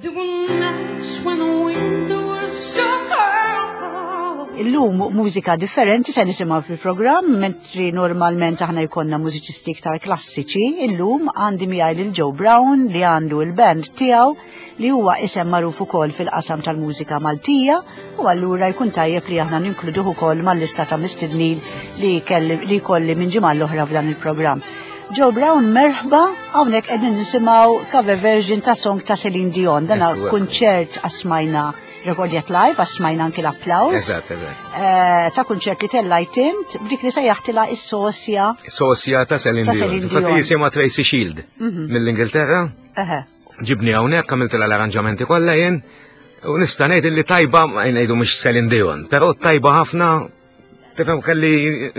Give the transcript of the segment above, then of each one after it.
There were nights when the wind was so cold. Illum mużika differenti se nisimgħu fil-programm, mentri normalment aħna jkollna mużiċisti iktar klassiċi, illum għandi miegħi lil Joe Brown li għandu l-band tiegħu li huwa isem magħruf ukoll fil-qasam tal-mużika Maltija u allura jkun tajjeb li aħna ninkluduh ukoll mal-lista ta' mistednin li li jkolli minn ġimgħa l-oħra f'dan il-programm. Joe Brown merħba hawnhekk qegħdin nisimgħu cover version ta' song ta' Celine Dion. Dan kunċert għasmajna rekordjat live, għasmajna anki l-applaws. Eżatt, eżatt. Eh, ta' kunċert li tellajt int b'dik li sejjaħtilha is-sosja. Sosja ta' Celine Dion. Infatti jisimha Tracy Shield mhm. mill-Ingilterra. Ġibni hawnhekk għamiltilha l-arranġamenti kollha jien u nista' ngħid li tajba ma ngħidu mhux Celine Dion, però tajba ħafna tifhem kelli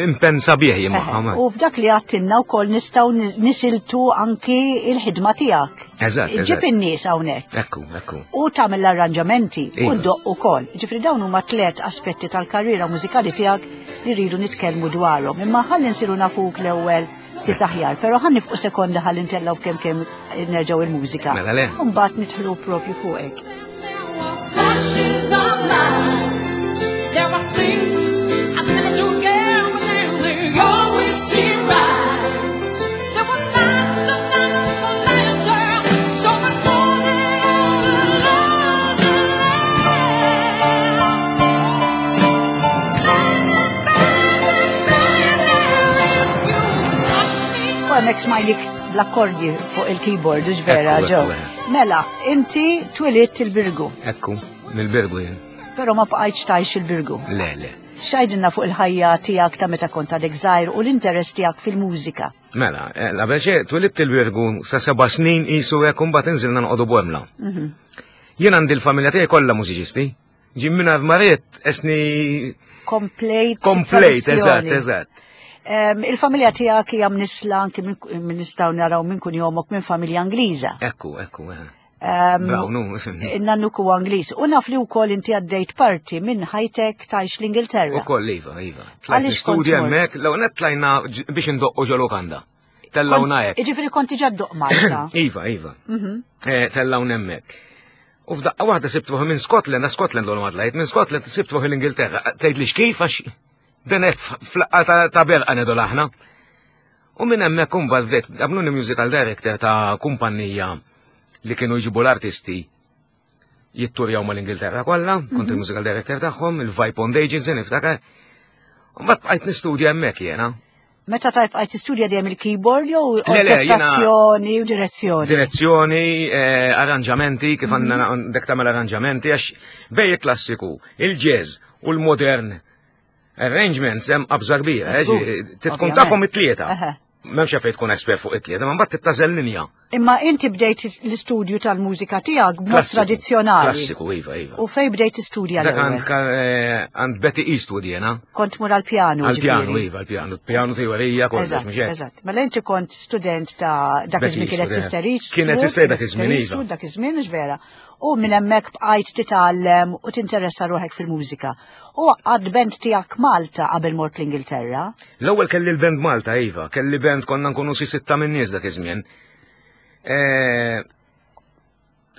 impenn sabiħ jien magħha. U f'dak li għattinna wkoll nistgħu nisiltu anki il-ħidma tiegħek. Eżatt. Ġib in-nies hawnhekk. Ekku, ekku. U tagħmel l-arranġamenti u Iva. ddoqq ukoll. Ġifri dawn huma tliet aspetti tal-karriera mużikali tiegħek li rridu nitkellmu dwarhom. Imma ħalli nsiru nafuk l-ewwel ftit aħjar, però ħan nifqu sekonda ħalli ntellgħu kemm kemm nerġgħu il-mużika. Mela le. U mbagħad nidħlu propju fuqek. Flashes of light. There are things I never do again, but they always seem right. There were nights the nights of lantern, so much more than all the U hemmhekk smajlik bl-akkordji fuq il-keyboard, hux vera, Ekku, Joe. ekku, Mela, inti twilidt il-Birgu, Ekku, mill-Birgu jien. però ma bqajtx tgħix il-Birgu. Le, le. X'għidilna fuq il-ħajja tiegħek ta' meta kont għadek żgħir u l-interess tiegħek fil-mużika. Mela, eh, la beċe, twilidt il-Birgu sa seba' snin qisu hekk u mbagħad inżilna noqogħdu Bormla. Mhm. Jien għandi l-familja tiegħi kollha mużiċisti. Ġim minn maret esni Komplejt. komplejt, eżatt, tradizzjoni. eżatt. Em, Il-familja tiegħek hija mnisla anki minn minn nistgħu naraw minn kun jomok minn familja Ingliża. Ekku, ekku, eh. Em, Brown, nu, fimni. Nannuk huwa Ingliż. U naf li wkoll inti għaddejt parti minn ħajtek tgħix l-Ingilterra. U koll, iva, iva. Tlajt Għaliex kont nistudja mort? hemmhekk, l net tlajna ġ- biex indoqqu ġo lukanda. Tellawna hekk. Iġifieri kont diġà ddoq Malta. Iva, iva. Mhm. Eh, Tellawna hemmhekk. U f'daqqa waħda sibt ruħi minn Scotland, għax Scotland l ma tlajt, minn Scotland sibt ruħi l-Ingilterra. Tgħid li xkif għax din hekk flaqqa ta'- ta' berqa ngħidu aħna. U minn hemmhekk imbagħad bdejt għamluni musical director ta' kumpanija li kienu jġibu l-artisti jitturjaw mal-Ingilterra kollha, kont il-musical director tagħhom, il-Vibe on Agency niftakar. U mbagħad bqajt nistudja hemmhekk jiena. Meta tajb għajt tistudja dejjem il-keyboard jew Le, le, jiena- orkestrazzjoni u direzzjoni. Direzzjoni, eh, arranġamenti, kif għandna dek tagħmel arranġamenti, għax bej il-klassiku, il-jazz u l-modern arrangements hemm qabża kbira, eh, Żgur, ġi- tkun ovvjament. tafhom it-tlieta. Eħe. M'hemmx għalfejn tkun espert fuq it-tlieta, ma mbagħad tittażel linja. Imma inti bdejt l-istudju tal-mużika tiegħek b'mod Klassiku, tradizzjonali. Klassiku, iva, iva. U fej bdejt tistudja Dak l-ewwel? għand eh, għand Betty Eastwood jena. Kont mur għall-pjanu. Għal-pjanu, ġifieri. iva, għal-pjanu. Pjanu teorija, kollox, Eżatt, mhux hekk. eżatt. Mela inti kont student ta' dak Betty iż-żmien kienet Eastwood, eh. Sister Eastwood. Kienet Sister dak iż-żmien, iva. Eastwood, dak iż-żmien, mhux vera. U minn hemmhekk bqajt titgħallem u tinteressa ruħek fil-mużika. U għad band tiegħek Malta qabel mort l-Ingilterra. L-ewwel kelli l-band Malta, iva, kelli band konna nkunu xi sitta minn nies dak iż-żmien. Eh,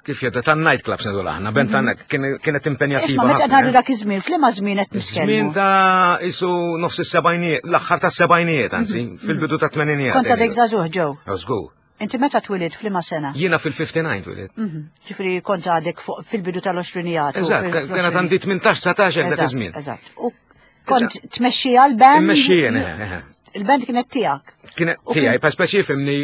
Kif jgħidu tan night clubs ngħidu aħna, band tan kienet impenjattiva. Isma' meta ħafna, ngħidu eh. dak iż-żmien, f'liema żmien qed Żmien nitkellmu? ta' isu nofs is-sebgħinijiet, l-aħħar tas-sebgħinijiet anzi, fil-bidu ta' tmeninijiet. Kont għadek żagħżugħ ġew. Żgur. Inti meta twilid f'liema sena? Jiena fil-59 twilid. Mhm. Ġifieri kont għadek fuq fil-bidu tal-20 Eżatt, kienet għandi 18-19 dak iż-żmien. Eżatt. U kont tmexxija l-band? Immexxijien, eh, eh. Il-band kienet tiegħek. Kienet U tiegħi, pa speċi fimni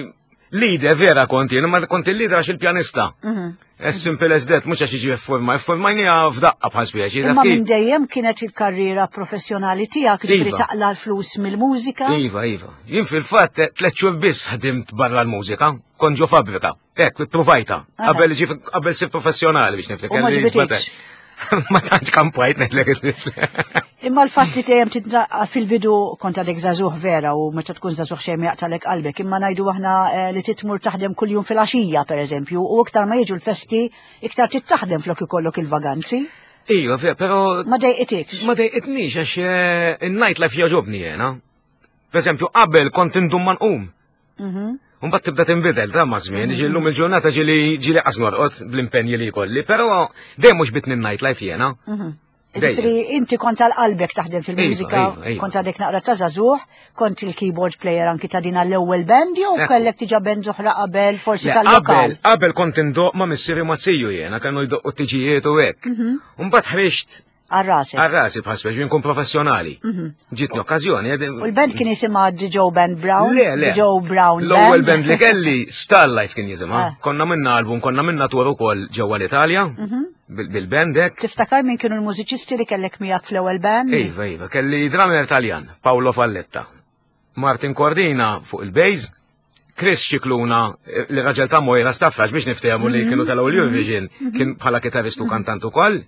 leader vera kont jien, ma kont il-leader għax il-pjanista. Mhm. As simple as that, mhux għax jiġi forma, formajnija f'daqqa bħal speċi. Imma minn dejjem kienet il-karriera professjonali tiegħek, ġifieri Iva. taqla l-flus mill-mużika. Iva, iva. Jien fil-fatt tliet xhur biss ħdimt barra l-mużika, kont ġo fabbrika. Hekk, provajta. Aha. Qabel ġi qabel sir professjonali biex niftek. U ma ġbitix. Ma tantx kampajt ngħidlek. Imma l-fatt li dejjem titnaqqa fil-bidu kont għadek żagħżugħ vera u meta tkun żagħżugħ xejn ma jaqtalek qalbek, imma ngħidu aħna eh, li titmur taħdem kuljum fil-għaxija pereżempju, u iktar ma jiġu l-festi, iktar titaħdem flok ikollok il-vaganzi. Iva, però Ma dejqitikx. ma dejqitnix għax eh, in-night life jogħġobni jena. Per eżempju, qabel kont indum ma nqum. Mhm. Mbagħad tibda tinbidel ta' ma' żmien, ġi llum il-ġurnata ġieli ġieli qas norqod bl-impenji li jkolli, però dejjem mhux bitni night life jiena. Mhm. Ġifieri inti kont għal qalbek taħdem fil-mużika, iva, iva, iva. kont għadek naqra ta' żagħżugħ, kont il-keyboard player anki ta' din għall-ewwel band jew kellek diġà band oħra qabel forsi tal-lokal. Qabel kont indoq ma' missieri ma' ziju jiena, kienu jdoqqu t-tiġijiet u hekk. Mhm. Mbagħad ħriġt Għal-rasi. Għal-rasi bħal speċi nkun professjonali. Mhm. Ġitni okkażjoni. U l-band kien jisimha The Joe Band Brown? Le, le. Joe Brown L-ewwel band li kelli Starlights kien jisimha. Ah. Konna minna album, konna minna tour ukoll ġewwa l-Italja. Mhm. Bil-band hekk. Tiftakar min kienu l-mużiċisti li kellek miegħek fl-ewwel band? Iva, iva, kelli drummer Taljan, Paolo Falletta. Martin Cordina fuq il-bass, Chris Scicluna, eh, li raġel ta' Moira Staffrax biex niftehmu li kienu tal Eurovision, mhm. kien bħala kitarristu mhm. kantant ukoll.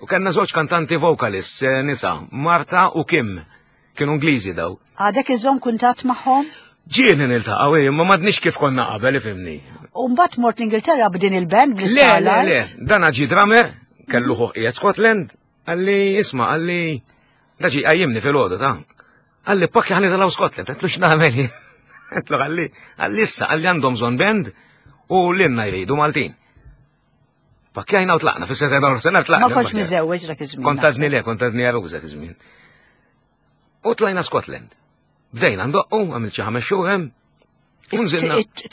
U kellna żewġ kantanti vocalists eh, nisa, Marta u Kim, kienu Ingliżi daw. Għadek iżżomm kuntatt magħhom? Ġieli niltaqgħu, eh, imma m'għadniex kif konna qabel ifhimni. U mbagħad mort l-Ingilterra b'din il-band bl-Starlight? Le, le, le, dan ġi drummer, kellu ħuq qiegħed Scotland, Għalli, isma, għalli, daġi għajjimni fil-ħodu ta' għalli pakki ħani talaw Scotland, għetlu x'nagħmel jien. Għetlu għalli, għalli issa, għalli għandhom bżonn band u l-inna jridu Maltin. Pakkjajna u tlaqna, fis-seta ta' nofsinhar tlaqna. Ma kontx miżewweġ dak iż-żmien. Kont għadni le, kont għadni għaruż dak iż-żmien. U tlajna Scotland. Bdejna ndoqqu, għamilt xi ħames xhur hemm.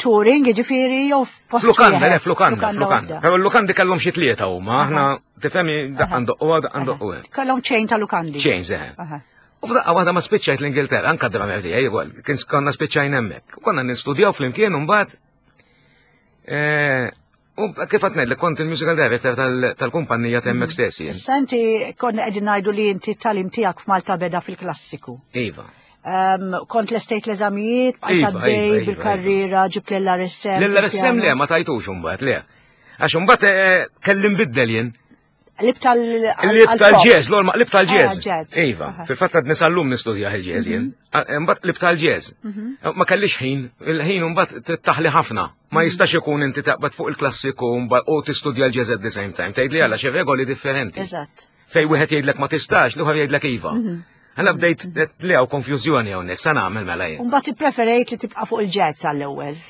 Touring, ġifieri, jew f'post. Flukanda, le, flukanda, flukanda. Però l-lukandi kellhom xi tlieta huma, aħna tifhemi daqqa ndoqqu daqqa ndoqqu hemm. Kellhom ċejn ta' lukandi. Ċejn, seħe. U f'daqqa waħda ma spiċċajt l-Ingilterra, anka drummer tiegħi wkoll, kien konna spiċċajn hemmhekk. Konna nistudjaw flimkien u mbagħad eh, U kif qed ngħidlek kont il-musical director tal-kumpanija ta' hemmhekk stess jien. Issa inti konna qegħdin ngħidu li inti t-tagħlim tiegħek f'Malta beda fil-klassiku. Iva. Kont lestejt l-eżamijiet, bqajt iva, għaddej iva, iva, bil-karriera, ġibt l-RSM. L-RSM le, ma tajtux imbagħad le. Għax imbagħad eh, kelli nbiddel jien. Lib tal-jazz, l-orma lib tal-jazz. Ah, iva, fil-fatt għad nisallum nistudja il-jazz jien. Mhm. Ah, imbagħad lib tal-jazz. Mhm. Eh, ma kellix ħin, il-ħin mbagħad taħli ħafna. Ma mhm. jistax ikun inti taqbad fuq il-klassiku u tistudja l-jazz at the same time. Tgħid li għala xi regoli differenti. Eżatt. Fej wieħed jgħidlek ma tistax, l-ieħor jgħidlek iva. Għalla bdejt li għaw konfjużjoni hawnhekk, sa nagħmel mela jien. Mbagħad ippreferejt li tibqa' fuq il-jazz għall-ewwel.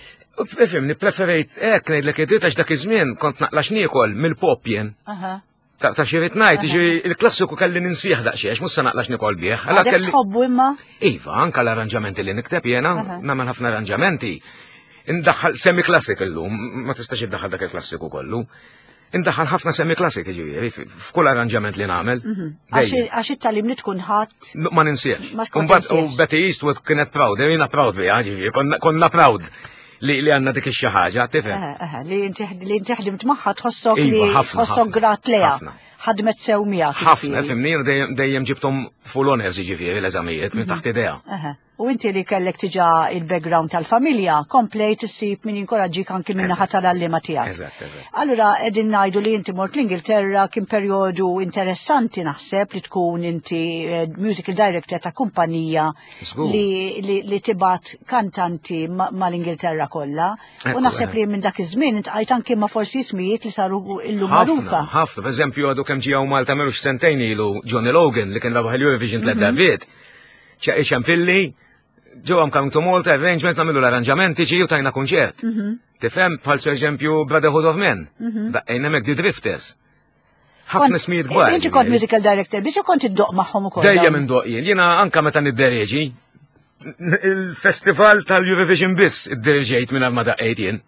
Ifhimni, preferejt hekk ngħidlek id għax dak iż-żmien kont naqlax niekol mill-pop jien. Ta' ta' xi rid ngħid, jiġifieri il-klassiku kelli ninsieħ daqsxejn għax mhux se naqlax nikol bih. Alla kelli tħobbu imma? Iva, anka l-arranġamenti li nikteb jiena, nagħmel ħafna arranġamenti. Indaħħal semi-klassik illum, ma tistax iddaħħal dak il-klassiku kollu. Indaħħal ħafna semi classic ġifieri f'kull arranġament li nagħmel. Mhm. Għax it-talim li tkun ħadd. Ma ninsiex. Mbagħad u Betty Eastwood kienet proud, jiena proud biha ġifieri, konna proud li li għandna dik ix-xi ħaġa, tifhem. Li inti ħdimt magħha tħossok li iva, tħossok grat leha. Ħadmet sew miegħek. Ħafna, fimni, dejjem ġibthom full honors ġifieri l-eżamijiet minn taħt idea. U inti li kellek tiġa il-background tal-familja, komplejt issib min jinkoraġġik anki minn naħa tal-għalliema tiegħek. Eżatt, eżatt. Allura qegħdin ngħidu li inti mort l-Ingilterra kien perjodu interessanti naħseb li tkun inti eh, musical director ta' kumpanija li, li, li tibgħat kantanti mal-Ingilterra kollha. U naħseb li minn dak iż-żmien intqajt anki ma' forsi ismijiet li saru illum magħrufa. Ħafna, per eżempju għadu kemm ġie Malta melux sentejn ilu Johnny Logan li kien rebaħ il-Eurovision tliet mhm. darbiet. Ċempilli, ġew I'm coming to Malta, arrangement, nagħmlu l-arranġamenti, ġiju tajna kunċert. Mhm. Tifhem bħal per eżempju Brotherhood of Men, mhm. daqqejna hemmhekk The Drifters. Ħafna smijiet kbar. Inti kont musical director, biex kont iddoq magħhom ukoll. Dejjem indoq jien, jiena anka meta niddereġi, il-festival tal-Eurovision biss iddereġejt minn ma daqqejt jien.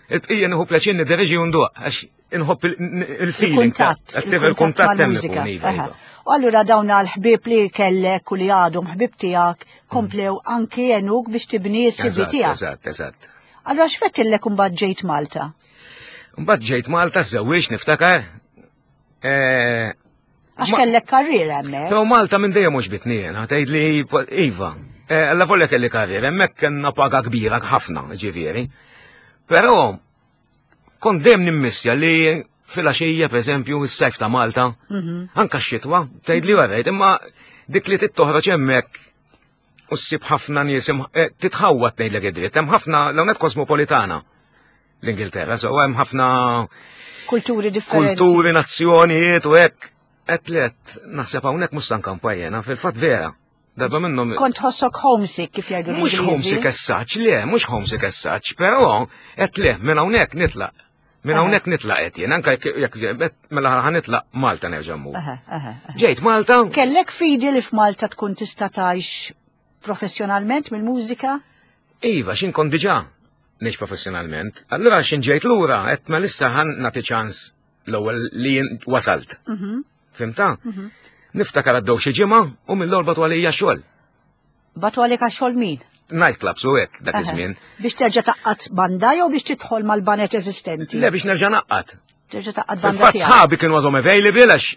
Il-bqija nieħu pjaċir niddereġi u ndoq, għax inħobb il-feeling. Il-kuntatt. Il-kuntatt hemm ikun, iva, iva. U allura dawn għal-ħbieb li kellek u li għadhom ħbieb tiegħek komplew anki jenuk biex tibni s-CV tiegħek. Eżatt, eżatt. Allura x'fettillek imbagħad ġejt Malta? Mbagħad ġejt Malta żewwiex niftakar. Eh, Għax kellek karriera hemmhekk. Però Malta minn dejjem mhux bitni jiena, tgħid li iva. Eh, alla volja kelli karriera, hemmhekk kellna paga kbira ħafna, ġifieri. Però kont dejjem nimmissja li fil-għaxija, per eżempju, s-sajf ta' Malta, mhm. anka x-xitwa, tgħid li għarrejt, imma dik li tittoħroġ hemmhekk u ssib ħafna nies eh, titħawwat ngħidlek id-dritt, hemm ħafna l-hawnhekk kosmopolitana l-Ingilterra, so hemm ħafna kulturi differenti. Kulturi, nazzjonijiet u hekk. Qed let naħseb hawnhekk mhux sankampa jiena, fil-fatt vera. Darba minnhom. Kont ħossok homesick kif jgħidu Mhux homesick as such, le, mhux homesick as such, però qed le minn hawnhekk nitlaq. Minn hawnhekk nitlaq qed jien, anke jekk mela ħa nitlaq Malta nerġa' mmur. Ġejt Malta. Kellek fidi li f'Malta tkun tista' tgħix professjonalment mill-mużika? Iva, xin kont diġà ngħix professjonalment. Allura xin ġejt lura qed ma lissa ħan nagħti ċans l-ewwel li wasalt. Mhm. Fimta? Mhm. Niftakar għaddew xi ġimgħa u mill-orba għalija xogħol. Batu għalika xogħol min? Nightclubs u hekk dak iż-żmien. Biex terġa' taqqat banda jew biex tidħol mal-banet eżistenti? Le biex nerġa' naqqat. Terġa' taqqat banda. Fil-fatt sħabi kienu għadhom available għax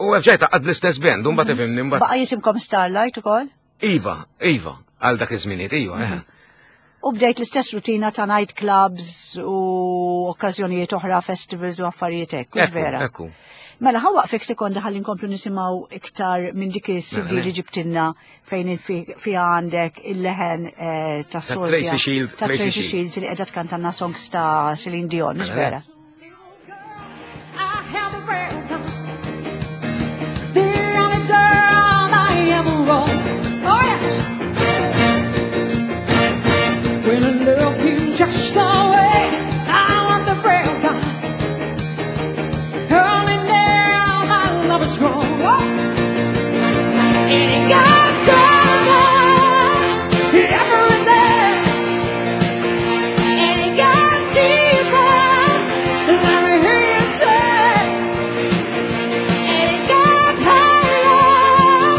u rġajt taqqat bl-istess band, u mbagħad mhm. ifhimni mbagħad. Baqa' jisimkom Starlight ukoll? Iva, iva, għal dak iż-żminijiet, iva. Eh. Mhm. U bdejt l-istess rutina ta' night clubs u okkażjonijiet oħra, festivals u affarijiet hekk, hux vera? Ekku. Mela ħa waqfek sekonda ħalli nkomplu nisimgħu iktar minn dik is-CD mela, li ġibtilna fejn fiha għandek il-leħen eh, ta' Tracy Shields, ta' Tracy Shields li qiegħda tkantanna songs ta' Celine Dion, mhux mela, vera? Just the way I want the break Early now, my love is strong. Oh. And it got so everything. And it got deeper than we hear you say. And it got higher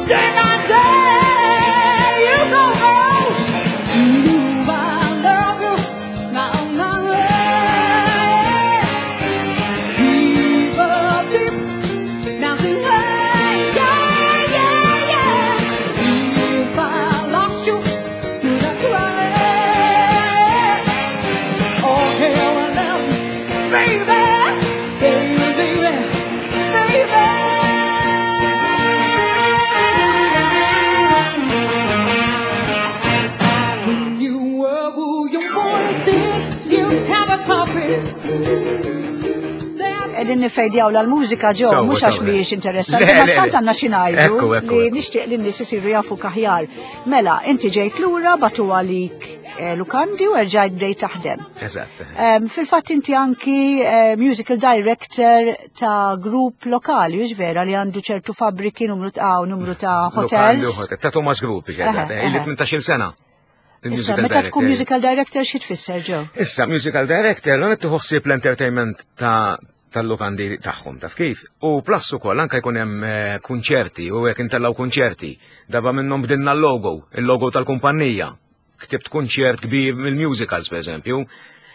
day by day. You go rose. You, I love you. Now, now, yeah. Deeper, deep down to hey, yeah, yeah, yeah. If I lost you, would I cry? Oh, hell, I love you, baby, baby, baby, baby. When you were who you wanted, did you have a copy? Qegħdin nifejdjaw l-mużika ġew, Sewwa, mhux għax sewwa. mhijiex interessanti, Le, ma le, tant le. għandna xi ngħidu Ekku, ekku, li ekku. nixtieq li n-nies isiru jafu aħjar. Mela, inti ġejt lura batu għalik eh, lukandi u erġajt bdejt taħdem. Eżatt. Fil-fatt inti anki eh, musical director ta' grupp lokali, hux vera li għandu ċertu fabbriki numru ta' u numru ta' Lukandi u hotels. hotel. Ta' Thomas Group, eżatt. Eħe, Ili eħe. 18 sena. Issa, Il-musical meta tkun director. musical director xi tfisser ġew? Issa, musical director, l-għonet tuħsib l-entertainment ta' tal-lukandi tagħhom, taf kif? U plus ukoll anke jkun hemm eh, kunċerti u hekk intellaw kunċerti. Darba minnhom bdilna l-logo, il-logo tal-kumpanija. Ktibt kunċert kbir mill-musicals, per eżempju.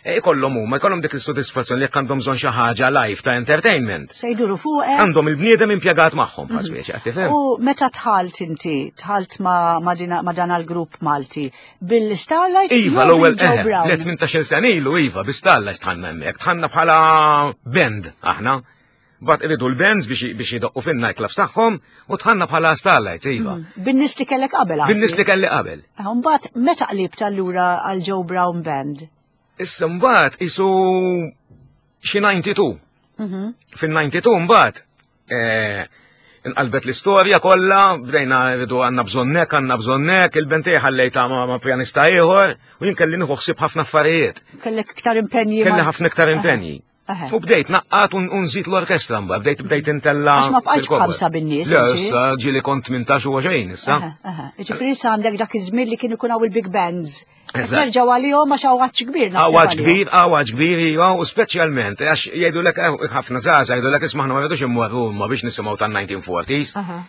E jkollhom huma, jkollhom dik is-sodisfazzjon li jekk għandhom bżonn xi ħaġa live ta' entertainment. Se jduru fuqek. Għandhom il-bniedem impjegat magħhom, bħal speċi, qed tifhem? U meta tħalt inti, tħalt ma, ma, dina, ma dan għal-grupp Malti, bil-Starlight Iva, jew l-ewwel bil-Joe eħe, Brown? le 18 sena ilu iva, bistalla stħanna hemmhekk, tħanna bħala band aħna. Bat iridu l-bands biex biex jidoqqu fin-nightclubs tagħhom u tħanna bħala Starlight, iva. Bin-nies li kellek qabel anki. Bin-nies li kelli qabel. Mbagħad meta qlibt allura għal Joe Brown Band? Issa mbagħad isu xi 92. Mhm. Fin-92 mbagħad eh, inqalbet l-istorja kollha, bdejna rridu għandna bżonnek, għandna bżonnek, il-bentej ħallejta ma' ma' pjanista ieħor u jien kelli nieħu ħsieb ħafna affarijiet. Kellek iktar impenji. Kelli ma- ħafna iktar impenji. Eħe. U bdejt naqqat u nżid l-orkestra mbagħad, bdejt bdejt intella. Għax ma bqajtx fil-kobor. b'ħamsa bin-nies, Le, inti. issa ġieli kont 18 u 20 issa. Eħe, eħe. Ġifieri issa għandek dak iż-żmien li kien ikun hawn il-big bands. Qed Eżatt. Nerġgħu għalihom għax hawn għatx kbir naħseb Għawaġ għalihom. kbir, għawaġ kbir, iva, u speċjalment, għax jgħidu lek ħafna zaza, jgħidu lek ismaħna ma rridux immorru huma biex nisimgħu tan-1940s. Aha.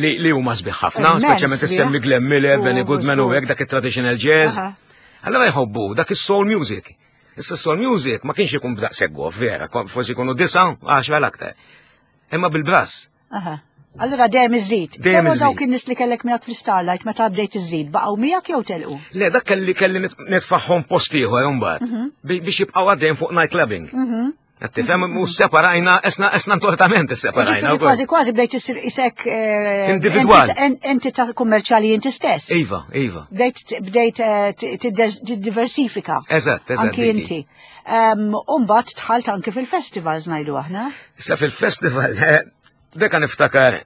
Li, li huma sbieħ ħafna, Immens speċjalment sbieħ. issemmi Glenn Miller, U Benny Goodman u żgur. hekk dak it-traditional jazz. Aha. Allora jħobbu dak is-soul music. Issa soul music ma kienx ikun b'daqshekk gof, vera, forsi jkunu disa, għaxra l-aktar. Imma bil-brass. Aha. Allura dejjem iżid. Dejjem Però iżid. dawk in-nies li kellek miegħek fl-Starlight meta bdejt iżid baqgħu miegħek jew telqu? Le, dak kelli kelli nitfaħħom post ieħor imbagħad Mhm. biex jibqgħu għaddejn fuq night clubbing. Qed tifhem u separajna, esna esna tortament isseparajna Ġifieri wkoll. kważi kważi bdejt issir isek eh, Individwal. Entità kummerċjali inti stess. Iva, iva. Bdejt bdejt eh, tiddiversifika. Eżatt, eżatt. Anki Diki. inti. U mbagħad tħalt anki fil-festivals ngħidu aħna. Issa fil-festival, eh, deka niftakar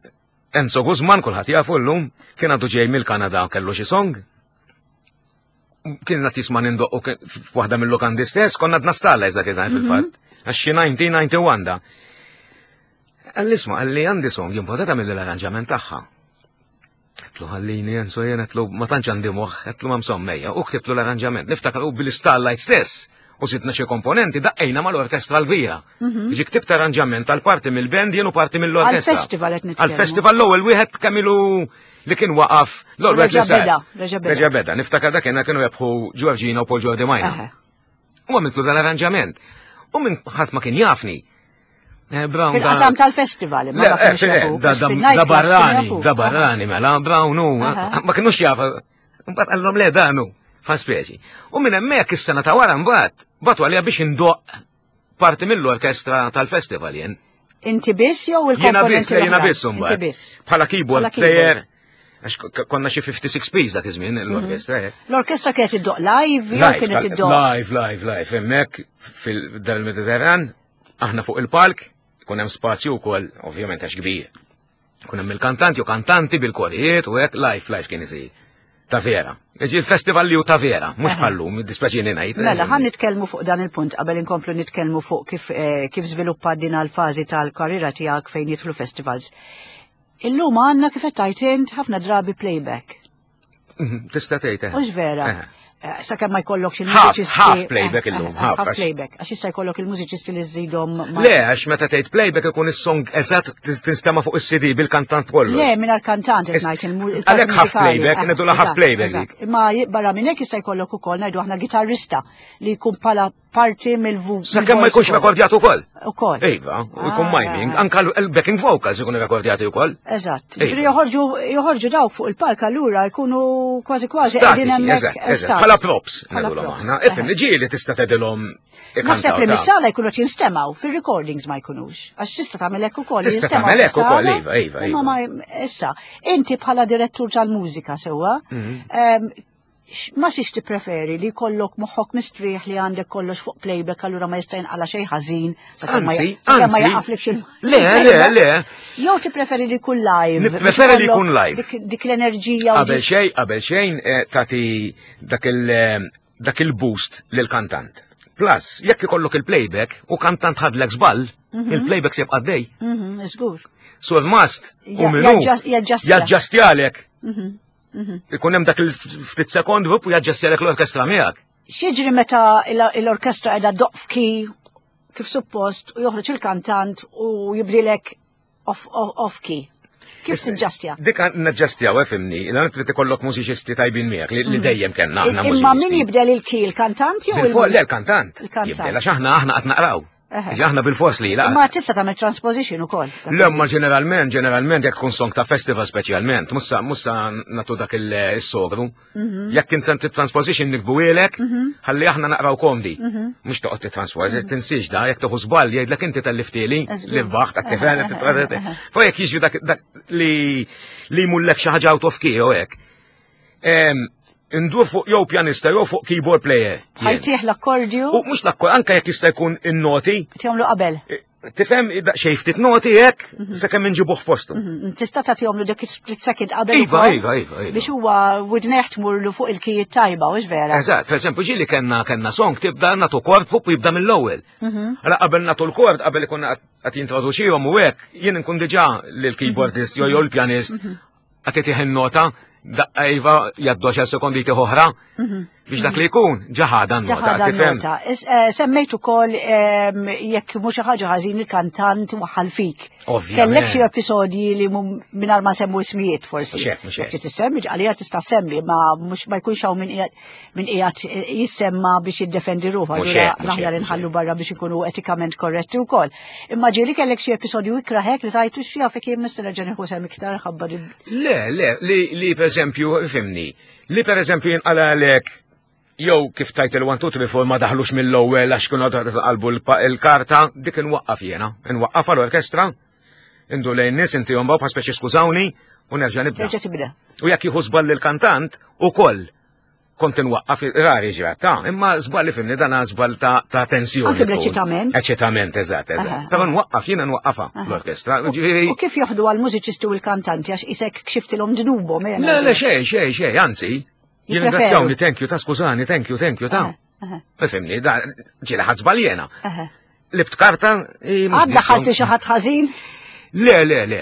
Enzo Guzman, kulħadd jafu llum, kien għadu ġej mill-Kanada kellu xi song. Kien qed jisma' nindoqqu f'waħda mill-lukandi stess, konna għadna stalla iżda kien fil-fatt. Għax xi 1991 da. Qalli isma' qalli għandi song jimportata mill-arranġament tagħha. Għedtlu ħallini Enzo jien għedtlu ma tantx għandi moħħ, għedtlu ma msommejja, u ktibtlu l-arranġament. Niftakar u bil-Starlight stess u zidna xi komponenti daqqejna mal-orkestra l-kbira. Ġi ktibt arranġament għal parti mill-band jien u parti mill-orkestra. Għal-festival qed nitkellmu. Għal-festival l-ewwel wieħed kemm ilu li kien waqaf l-ewwel wieħed li Reġa' sar. beda, reġa' beda. Reġa' beda. Niftakar dak kienu rebħu Giorgina u Paul Jordi Majna. Eħe. U għamiltlu dan arranġament. U minn ħadd ma kien jafni. Eh, Brown da- Fil-qasam tal-festival, imma Le, ma eh, kienux fil- jafu. da, da, Fil-nightclubs da kienu barrani, jafu. da barrani, mela, Brown u, Aha. ma kienux jafu. Mbagħad qallhom le danu, fa' speċi. U minn hemmhekk is-sena ta' wara mbagħad batu għalija biex indoq parti mill-orkestra tal-festival jien. Inti biss jew Jiena il-komponenti biss, le, jiena l-oħrajn? biss Inti mbagħad. biss. Bħala keyboard Bħala keyboard. player, għax konna xi 56 piece dak iż-żmien l-orkestra. eh. L-orkestra kienet iddoq live jew Live, kienet iddoq. live, live, live, hemmhekk fil-dar il-Mediterran, aħna fuq il-palk, ikun hemm spazju wkoll, ovvjament għax kbir. Ikun hemm il-kantanti u kantanti bil-korijiet u hekk live, live kien isir. Ta' vera. Iġi il-festival li hu ta' vera, mhux bħallum, dispaċini ngħid. Mela, ħan nitkellmu fuq dan il-punt qabel inkomplu nitkellmu fuq kif, eh, kif żviluppa din għal-fażi tal-karriera tiegħek fejn jidħlu festivals. Illum għandna kif qed tgħid int ħafna drabi playback. Tista' tgħid. eh. Mhux vera. Eh. Eh, Sakemm ma jkollokx Half, il-mużiċisti. half playback eh, illum, eh, half, Half għax- playback, għax jista' jkollok il-mużiċisti li żżidhom ma' Le, għax meta tgħid playback ikun is-song eżatt tinstema' fuq is-CD bil-kantant kollu. Le, minn kantant qed ngħid il-parti Għalhekk half mużikali. playback, Eh, ngħidulha half eżatt, playback eżatt. dik. Imma barra minn hekk jista' jkollok ukoll ngħidu aħna gitarrista li jkun bħala parti mill-vu. Sakemm ma jkunx rekordjat ukoll. Ukoll. Iva, u jkun Ah, miming, ah. anka l-backing vocals ikunu rekordjati wkoll. Eżatt. Iva. Ġifieri joħorġu joħorġu dawk fuq il-palk allura jkunu kważi kważi Statiċi, qegħdin hemmhekk. eżatt, eh, eżatt. statiċi. Bħala props, Bħala ngħidulhom props, aħna. Ifhem, eħe. ġieli tista' tgħidilhom Naħseb ikantaw li ta' mis-sala jkunu qed jinstemaw, fir-recordings ma jkunux. Għax tista' tagħmel hekk ukoll. Tista' jinstemaw tagħmel hekk ukoll, fis-sala, iva, iva, imma iva. ma issa, inti bħala direttur tal-mużika sewwa, Mhm. ma xiex tippreferi li jkollok moħħok mistrieħ li għandek kollox fuq playback allura ma jista' jinqala xejn ħażin sakemm ma Anzi, sakemm ma anzi. jaqaflekx il Le, le, le. Jew tippreferi li jkun live. Nippreferi li biex jkun ikollok live. Dik, dik l-enerġija u Qabel dik- xejn, qabel xejn eh, tagħti dak il eh, dak il-boost lil kantant. Plus, jekk ikollok il-playback u kantant ħadlek żball, il-playback se jibqa' dej. Żgur. Sur mast u Ja- minu jaġġastja. jaġġastjalek. Ikun hemm dak il-ftit sekond u jaġġastjalek l-orkestra miegħek. X'jiġri meta l-orkestra qiegħda doq f'ki kif suppost u joħroġ il-kantant u jibdilek off, off, off key. Kif tiġġastja? Dik naġġastjaw, fimni, l trid ikollok mużiċisti tajbin miegħek li dejjem kellna aħna Imma min mużiċisti. jibdel il-key, il-kantant jew Bil-for, le, l-kantant. Il-kantant. Jibdel, għax aħna aħna qed naqraw. Eħe. Ġi Aħna bil-fors li la. Imma tista' tagħmel transposition ukoll. Le, ma ġeneralment, ġeneralment, jekk tkun song ta' festival speċjalment, mussa, mussa natu dak il-sogru. Jekk inti transposition nikbuwielek, ħalli aħna naqraw komdi. Mux toqgħod titransposi, tinsiex da, jekk toħu żball jgħidlek inti tal-liftili, Eżgur. li baħt, Eħe, eħe, eħe. Fa jekk jiġri dak dak li li jmullek xi ħaġa out of key jew hekk. Em, Indur fuq jew pjanista jew fuq keyboard player. jien. Ħajtih l-akkordju U mhux l-akkord, anke jekk jista' jkun in-noti, tjomlu qabel. tifhem xejn ftit noti hekk sakemm inġibuh f'postu. Tista' tagħtihomlu dik split second qabel Iva, ukoll iva, iva, iva. Biex huwa widnejh tmurlu fuq il-kijiet tajba, u vera. Eżatt, per eżempju, ġili kellna kellna song tibda natu kord fuq u jibda mill-ewwel. Għala qabel natu l-kord, qabel ikun qed jintroduċihom u hekk, jien nkun diġà lill-keyboardist jew jew l-pjanist qed itih in-nota, daqqa iva jgħaddu 10 sekondi jtih oħra biex dak li jkun ġaħada n-nota, Ġaħada tifhem? nota. Semmejt ukoll jekk mhux xi ħaġa ħażin il-kantant waħal fik. Ovvjament. Kellek xi episodji li mingħajr ma semmu ismijiet forsi. Mhux hekk, mhux hekk. Jekk tissemmi għalija tista' semmi, ma mhux ma jkunx hawn min qiegħed min qiegħed jissemma biex jiddefendi ruħu. Mhux Allura hekk, mhux l-aħjar hekk, mhux inħallu hekk. barra biex ikunu etikament korretti wkoll. Imma ġieli kellek xi episodju ikraħek li tajtu xi jafek jien nista' nerġa' nieħu sem iktar ħabba din. Le, le, li, li per eżempju, fimni, li per eżempju jinqalalek jew kif tajt il-1, 2, 3, 4 ma daħlux mill-ewwel għax kienu qalbu l-karta, dik inwaqqaf jiena, inwaqqaf għall-orkestra, indu lejn nies inti jom bħal speċi skużawni u nerġa' nibda. Terġa' tibda. U jekk jieħu żball il-kantant ukoll. Kont inwaqqaf rari ġrat, ta' imma żball li fimni dan żball ta' tensjoni. Anke bl-eċitament. Eċitament, eżatt, eżatt. Però nwaqqaf jiena nwaqqafha l-orkestra. U kif joħdu għall-mużiċisti u l-kantanti għax isek kxiftilhom dnubhom? Eh, le, le, xejn, xejn, xejn, anzi, jirringrazzjawni, thank you, ta' skużani, thank you, thank you, ta' Fimni, da ġieli ħadd żball jiena. Libt karta. Għadda ħalti xi ħadd ħażin? Le, le, le.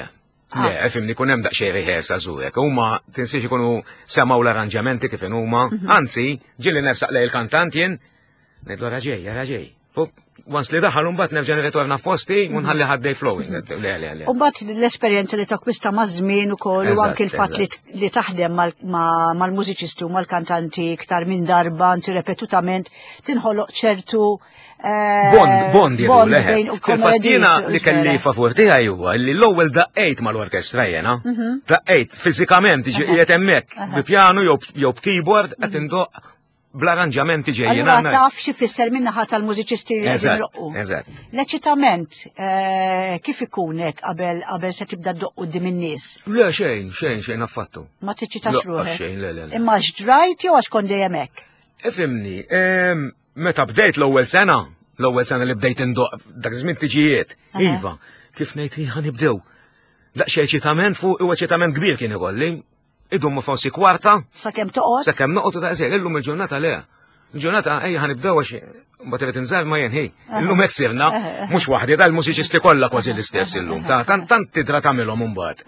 Ah. Le, fimni kun hemm daqsxejn rehearsal żurek. Huma tinsiex ikunu semgħu l-arranġamenti kif huma. Mhm. Anzi, ġieli nersaq lej il-kantant jien, ngħidlu raġej, raġej. Once li daħal mbagħad nerġa' nirritorna f'posti u nħalli ħaddej flowing. Mhm. Le, le, le. U mbagħad l-esperjenza li takkwista maż-żmien ukoll u anke l-fatt li taħdem mal-mużiċisti u mal-kantanti iktar minn darba, anzi repetutament, tinħoloq ċertu Eh, bond, bond jgħidu leħe. Fil-fatt jiena li kelli favur tiegħi huwa li l-ewwel daqqejt mal-orkestra jiena. Mhm. Daqqejt fiżikament qiegħed hemmhekk bi pjanu jew b'keyboard qed mhm. indoq bl-arranġamenti ġejjin. Allura taf xi fisser min-naħa tal-mużiċisti li qegħdin idoqqu. Eżatt. L-eċitament eh, kif ikun hekk qabel qabel se tibda ddoq quddiem in-nies? Le xejn, xejn, xejn affattu. Ma tiċċitax ruħek. Xejn, le, le. Imma x'drajt jew għax kont dejjem hekk? Ifimni, Meta bdejt l-ewwel sena, l-ewwel sena li bdejt indoq dak żmien tiġijiet, iva, kif ngħid ħa nibdew. Daqsxejn eċitament fuq u eċitament kbir kien ikolli. Idum forsi kwarta. Sakemm toqgħod. Sakemm noqgħod u daqshekk illum il-ġurnata le. Il-ġurnata ejja ħa nibdew għax mbagħad irid inżar ma jenħi. Illum hekk sirna, mhux waħdi dal-mużiċisti kollha kważi l-istess illum. Ta' tant tant tidra tagħmilhom imbagħad.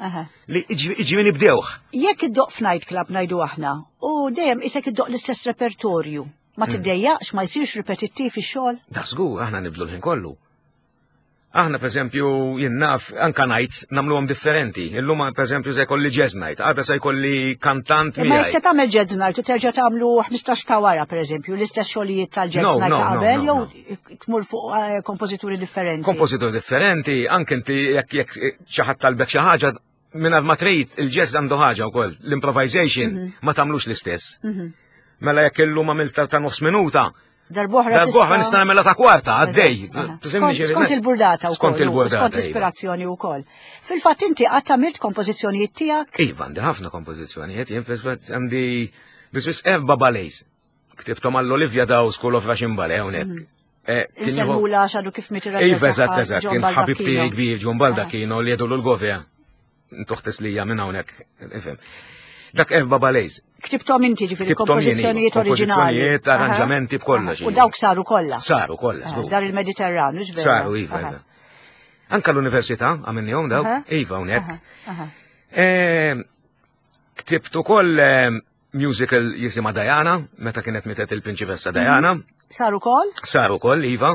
Li iġri nibdewh. Jekk iddoq f'night club ngħidu aħna, u dejjem isek iddoq l-istess repertorju. Ma hmm. tiddejjaqx, ma jsirx ripetittiv ix-xogħol? Da żgur, aħna nibdlu l-ħin kollu. Aħna pereżempju jien naf anka nights nagħmluhom differenti. Illum pereżempju se jkolli jazz night, għada se jkolli kantant miegħi. Ma jekk se tagħmel jazz night u terġa' tagħmlu 15 ta' wara pereżempju l-istess xogħlijiet tal-jazz night ta' qabel jew tmur fuq eh, kompożituri differenti. Kompożituri differenti, anke inti jekk jekk xi ħadd talbek xi ħaġa mingħajr ma trid il-jazz għandu ħaġa wkoll, l-improvisation mhm. ma tagħmlux l-istess. Mhm. Mela jekk illum għamilta ta' nofs minuta, Darboħra Darboħra nista' nagħmilha ta' kwarta għaddej. Skont il-burdata wkoll. Skont il-burdata. Skont iva. l-ispirazzjoni wkoll. Fil-fatt inti qatt għamilt kompożizzjonijiet tiegħek? Iva, għandi ħafna kompożizzjonijiet, jien għandi biss erba' ballets. Ktibtom għall-Olivia Daw School of Russian Ballet hawnhekk. Mhm. Eh, Insemmula xadu kif miet ir Iva, eżatt, eżatt, kien ħabib tiegħi kbir John Baldacchino li jgħidu l-govja. Tuħtes lija minn hawnhekk, ifhem. Dak erba' ballets. Ktibtom inti ġifieri kompożizzjonijiet oriġinali. Kompożizzjonijiet, arranġamenti b'kollox. U dawk saru kollha. Saru kollha. Dar il-Mediterran, mhux vera. Saru, iva, iva. Anka l-università għamilnihom dawk, iva hawnhekk. Eh, ktibt ukoll eh, Musical jisima Diana, meta kienet mietet il-Prinċipessa Diana. Mhm. Saru kol? Saru kol, Iva.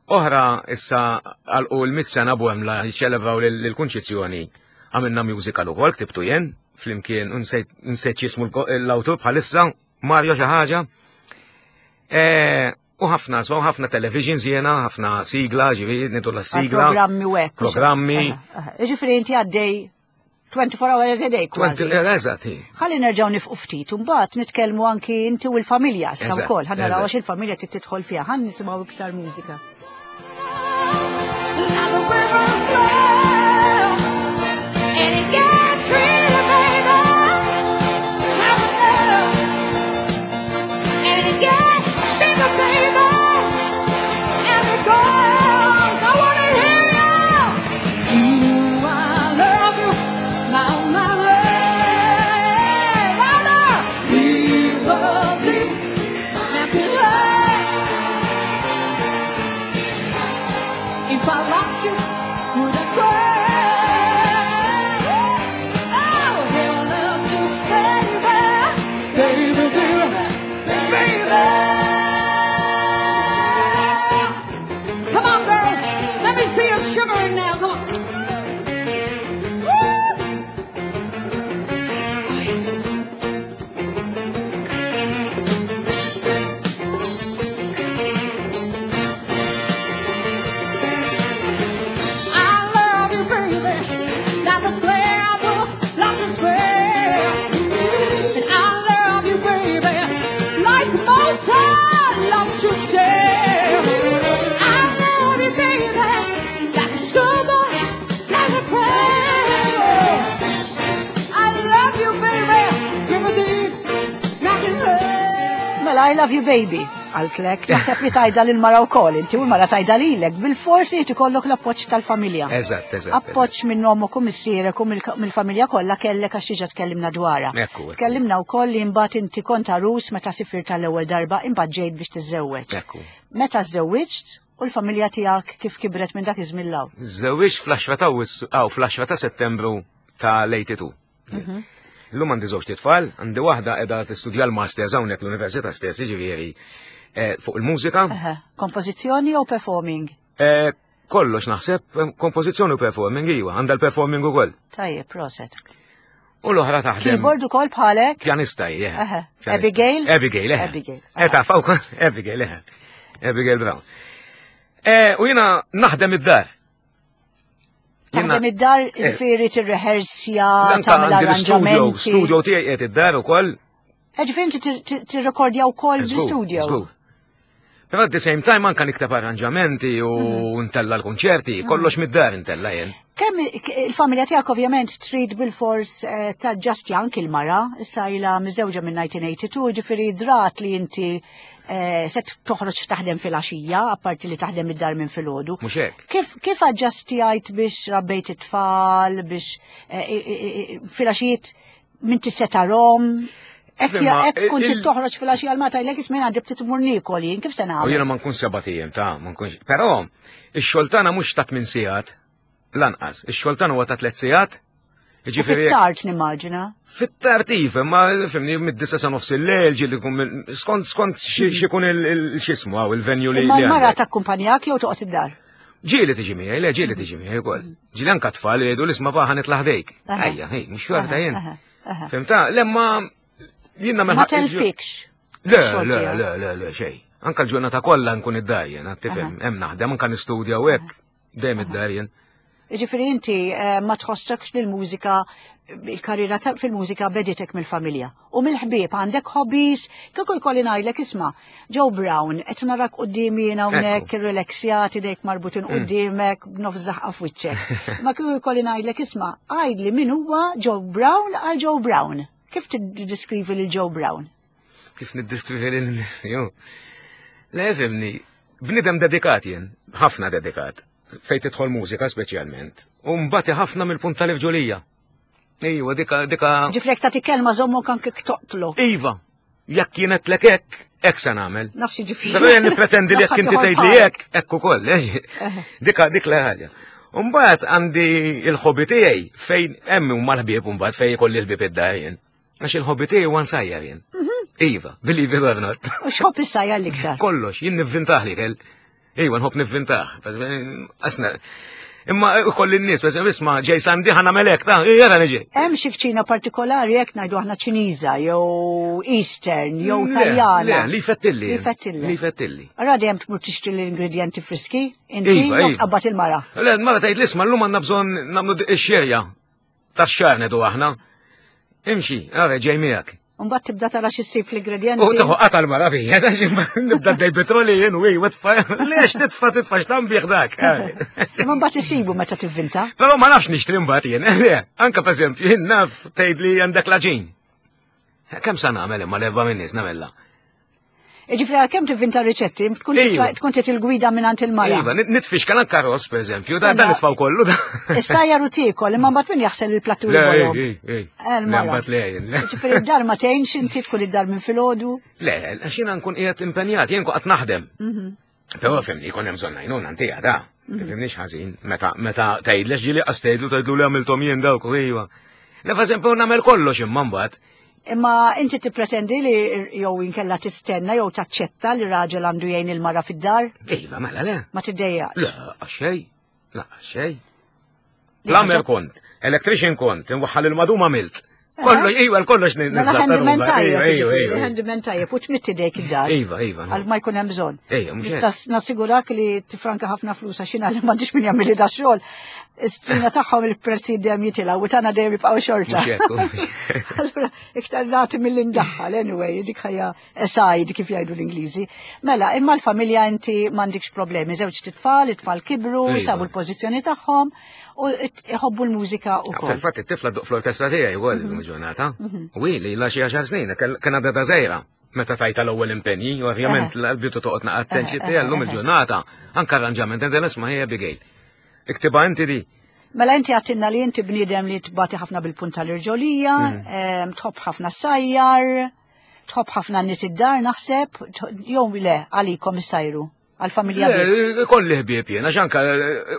Oħra issa għalqu l-mit sena bwemla jiċċelebraw l-kunċizzjoni. Għamilna musical ukoll, ktibtu jien, flimkien nsejt jismu l-awtur bħalissa, Mario xi ħaġa. E, u ħafna, so ħafna televisions jiena, ħafna sigla, ġifieri nidu la sigla. Programmi u hekk. Programmi. Ġifieri inti għaddej 24 hours a day kważi. Eżatt. Ħalli nerġgħu nifqu ftit u mbagħad nitkellmu anki inti u l-familja issa wkoll. Ħa naraw għax il-familja trid tidħol fiha. Ħa nisimgħu iktar mużika. And it gets real, baby. And it gets bigger, baby. And it goes. I wanna hear you. I love you, my, my love. I love you. If I lost you, would I cry? Oh, hell, love you, baby, baby, baby, baby. Come on, girls, let me see you shivering now. Come on. Woo! Oh, yes. I love you, love you baby, għaltlek, naħseb li tajda lil mara wkoll, inti u l-mara tajda lilek, bil-forsi jrid ikollok l-appoġġ tal-familja. Eżatt, eżatt. Appoġġ minn ommok u missierek u mill-familja kollha kellek għax diġà tkellimna dwarha. Ekku, ekku. Tkellimna wkoll li mbagħad inti kont għarus meta sifirt tal-ewwel darba imbagħad ġejt biex tiżżewweġ. Ekku. Meta żżewwiġt u l-familja tiegħek kif kibret minn dak iż-żmien 'l hawn? Żżewwiġt fl-10 ta' Awwissu, aw fl-10 ta' Settembru ta' l-82. Mhm. Illum għandi żewġ titfal, għandi waħda qiegħda tistudja l-masters hawnhekk l-università stess, jiġifieri eh, fuq il-mużika. Kompożizzjoni jew performing? Eh, kollox naħseb, eh, kompożizzjoni u performing iwa, għandha l-performing ukoll. Tajjeb, proset. U l-oħra taħdem. Keyboard ukoll bħalek? Pjanista hi, Abigail? Abigail, eh. Abigail. Eh, taf ukoll, Abigail, eh. Abigail Brown. U jiena naħdem id-dar. Taħdem id-dar eh. ġifieri tirrehersja, tagħmel arranġamenti. Studio tiegħi qiegħed id-dar ukoll. Eh, ġifieri inti tirrekordja wkoll bl-studio. Però at the same time anka nikteb arranġamenti u mhm. ntella l-konċerti, mhm. kollox mid-dar ntella jien. Kemm il-familja tiegħek ovvjament trid bil-fors eh, taġġasti anki l-mara, issa ilha miżewġa minn 1982, ġifieri drat li inti Eh, se toħroġ taħdem fil-għaxija, apparti li taħdem id-dar minn filgħodu. Mhux hekk. Kif, kif aġġastijajt biex rabbejt it-tfal, biex eh, fil-għaxijiet minn tissetarhom? Ekk jekk kont toħroġ fil-għaxija l-mata jlek ismin għandi btit imur niekol jien, kif se nagħmel? U jiena ma nkun seba' tiem ta' ma nkunx. Però ix-xogħol tagħna mhux ta' tmien sigħat. Lanqas, ix-xogħol tagħna huwa ta' tliet sigħat. Jiġifieri Fit-tard nimmaġina. Fit-tard iva, ma fimni mid-disa sa nofs il-lejl ġieli jkun skont skont x'ikun il-x'ismu hawn il-venju li. Imma l-mara takkumpanjak jew toqgħod id-dar? Ġieli tiġi miegħi, le ġieli tiġi miegħi wkoll. Ġieli anke tfal jgħidu l-isma' paħa nitla' ħdejk. Ejja, ej, mhux xorta jien. Fimta, lemma jien nagħmel Ma telfikx. Le, le, le, le, le, xejn. Anka l-ġurnata kollha nkun id-dar jien, tifhem, hemm naħdem anka nistudja u hekk. Dejjem id-dar jien. Ġifieri inti eh, ma tħossokx li l-mużika il-karriera fil-mużika beditek mill-familja. U mill-ħbieb għandek hobbies, kieku jkolli ngħidlek isma' Joe Brown qed narak quddiemi jien hawnhekk irrileksjat idejk marbutin mm. quddiemek b'nofs daħqa f'wiċċek. Ma kieku jkolli ngħidlek isma' għidli min huwa Joe Brown għal Joe Brown. Kif tiddiskrivi lil Joe Brown? Kif niddiskrivi lil nifsi, Le, fimni, bnidem dedikat jien, ħafna dedikat, fejn tidħol mużika speċjalment, u mbagħad ħafna mill-punt tal-irġulija. Iva, dika, dika. Ġifrek ta' kelma zommok anke toqtlu. Iva, jekk kienet lek hekk, hekk se nagħmel. Nafsi ġifieri. Però jien nippretendi li jekk inti tgħid li hekk, hekk ukoll. Eh? Dika dik la ħaġa. Umbagħad għandi il-ħobi tiegħi fejn hemm huma l-ħbieb mbagħad fejn ikolli l-ħbieb id-dar jien. Għax il-ħobbi tiegħi huwa nsajjar jien. Mhm. Iva, believe it or not. U x'ħobb issajjar l-iktar? Kollox, jien nivvintah li kell. Iva, nħobb nivvintah. Asna, Imma kolli n-nies, per isma' ġej sandi ħana melek, ta' jara niġi. Hemm xi kċina partikolari jekk ngħidu aħna Ċiniża jew Eastern jew Taljana. Le, li fettilli. Li fettilli. Li fettilli. Ara dejjem tmur tixtri l-ingredjenti friski, inti iva, iva. tqabbad il-mara. Le, l-mara tgħid l-isma' llum għandna bżonn nagħmlu x-xerja. Tax-xahar nedu aħna. Imxi, għara ġej miegħek. Mbagħad tibda tara xi ssib fl-ingredjenti. U tieħu qata l-mara fija, nibda dej petroli jien u u tfa. Lex titfa titfa x'tam bih dak. Imma mbagħad isibu meta tivvinta. Però ma nafx nixtri mbagħad jien. Le, anka pereżempju jien naf tgħid li għandek laġin. Kemm sa nagħmel imma l-erba' minn nies nagħmilha. Ġifri għal-kem tivvinta riċetti, tkun iva. tkun trid il-gwida minn il-mara. Iva, nitfix kan anka ross, per eżempju, dan dan nitfaw kollu. Issa jaru tiekol, imma mbagħad min jaħsel il-plattu li Le, mbagħad le. Ġifri id-dar ma tgħinx inti tkun id-dar minn filgħodu. Le, għax jiena nkun qiegħed impenjat, jien qed naħdem. Mhm. Però fimni, jkun hemm bżonn għajnuna ntija da. Mhm. Fimniex ħażin, meta meta tgħidlex ġieli qas tgħidlu tgħidlu li għamilthom jien dawk u iva. Le eżempju nagħmel kollox imma mbagħad. Imma inti tippretendi li jew inkella tistenna jew taċċetta li raġel għandu jgħin il-mara fid-dar? Iva, mela le. Ma tiddejja. Le, xej. La, xej. Plumber kont, electrician kont, inwaħħal il-madum għamilt. Kollu, iva, kollox mela nizza. Handyman tajjeb, iva, iva. Handyman tajjeb, u tmitti dejk id-dar. Iva, iva. Għal ma jkun hemm bżonn. Iva, Nista' nassigurak li tifranka ħafna flus għax jiena li m'għandix min jagħmel da xogħol. Istrina tagħhom il-prezzi dejjem jitilgħu u tagħna dejjem jibqgħu xorta. Allura iktar nagħti milli ndaħħal anyway, dik ħajja aside kif jgħidu l-Ingliżi. Mela, imma l-familja inti m'għandikx problemi, żewġ titfal, it-tfal kibru, iva. sabu l-pożizzjoni tagħhom u iħobbu l-mużika u wkoll. Fil-fatt it-tifla duq fl-orkestra tiegħi wkoll mhm. ġurnata. Mhm. U li la xi għaxar snin, kien għadha żgħira. meta tajta l-ewwel impenji, ovvjament l-bidu toqgħod naqgħod attenti llum il-ġurnata, anke arranġament, inti nisma' hija Abigail. Iktiba inti di. Mela inti għattinna li inti bniedem li tbati ħafna bil-punt tal-irġolija, tħobb ħafna sajjar, tħobb ħafna nies id-dar naħseb, jew le għalikom issajru għal-familja biss. Kolli ħbieb jien, għax anka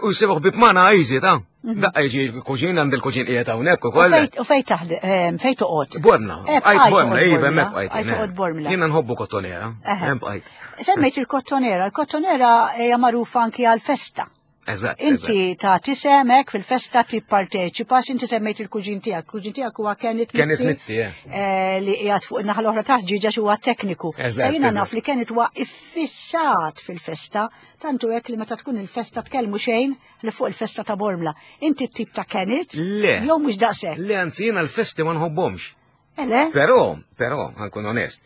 u jsibu ħbieb magħna easy ta' mhm. daqqa jiġi kuġin għand il-kuġin qiegħed hawnhekk ukoll. U fejn taħdem, fejn toqgħod? Borna, eh, bqajt Borna, iva hemmhekk bqajt. Toqgħod Bormla. Jiena nħobbu kottonera, hemm bqajt. Semmejt il-kottonera, il-kottonera hija magħrufa anki għal-festa. Eżatt. Inti ta' tisemek fil-festa tipparteċipa, inti semmejt il-kuġin tiegħek. Il-kuġin tiegħek huwa Kenneth Mizzi. Kenneth Mizzi, eh. eh. Li qiegħed fuq in-naħa l-oħra ta' ġiġa huwa tekniku. Sa jiena naf li Kenneth huwa iffissat fil-festa, tantu hekk li meta tkun il-festa tkellmu xejn li fuq il-festa ta' Bormla. Inti t-tip ta' Kenneth? Le. Jew mhux daqshekk. Le, anzi jiena l-festi ma nħobbhomx. Eh, le? Però, però, ħankun onest.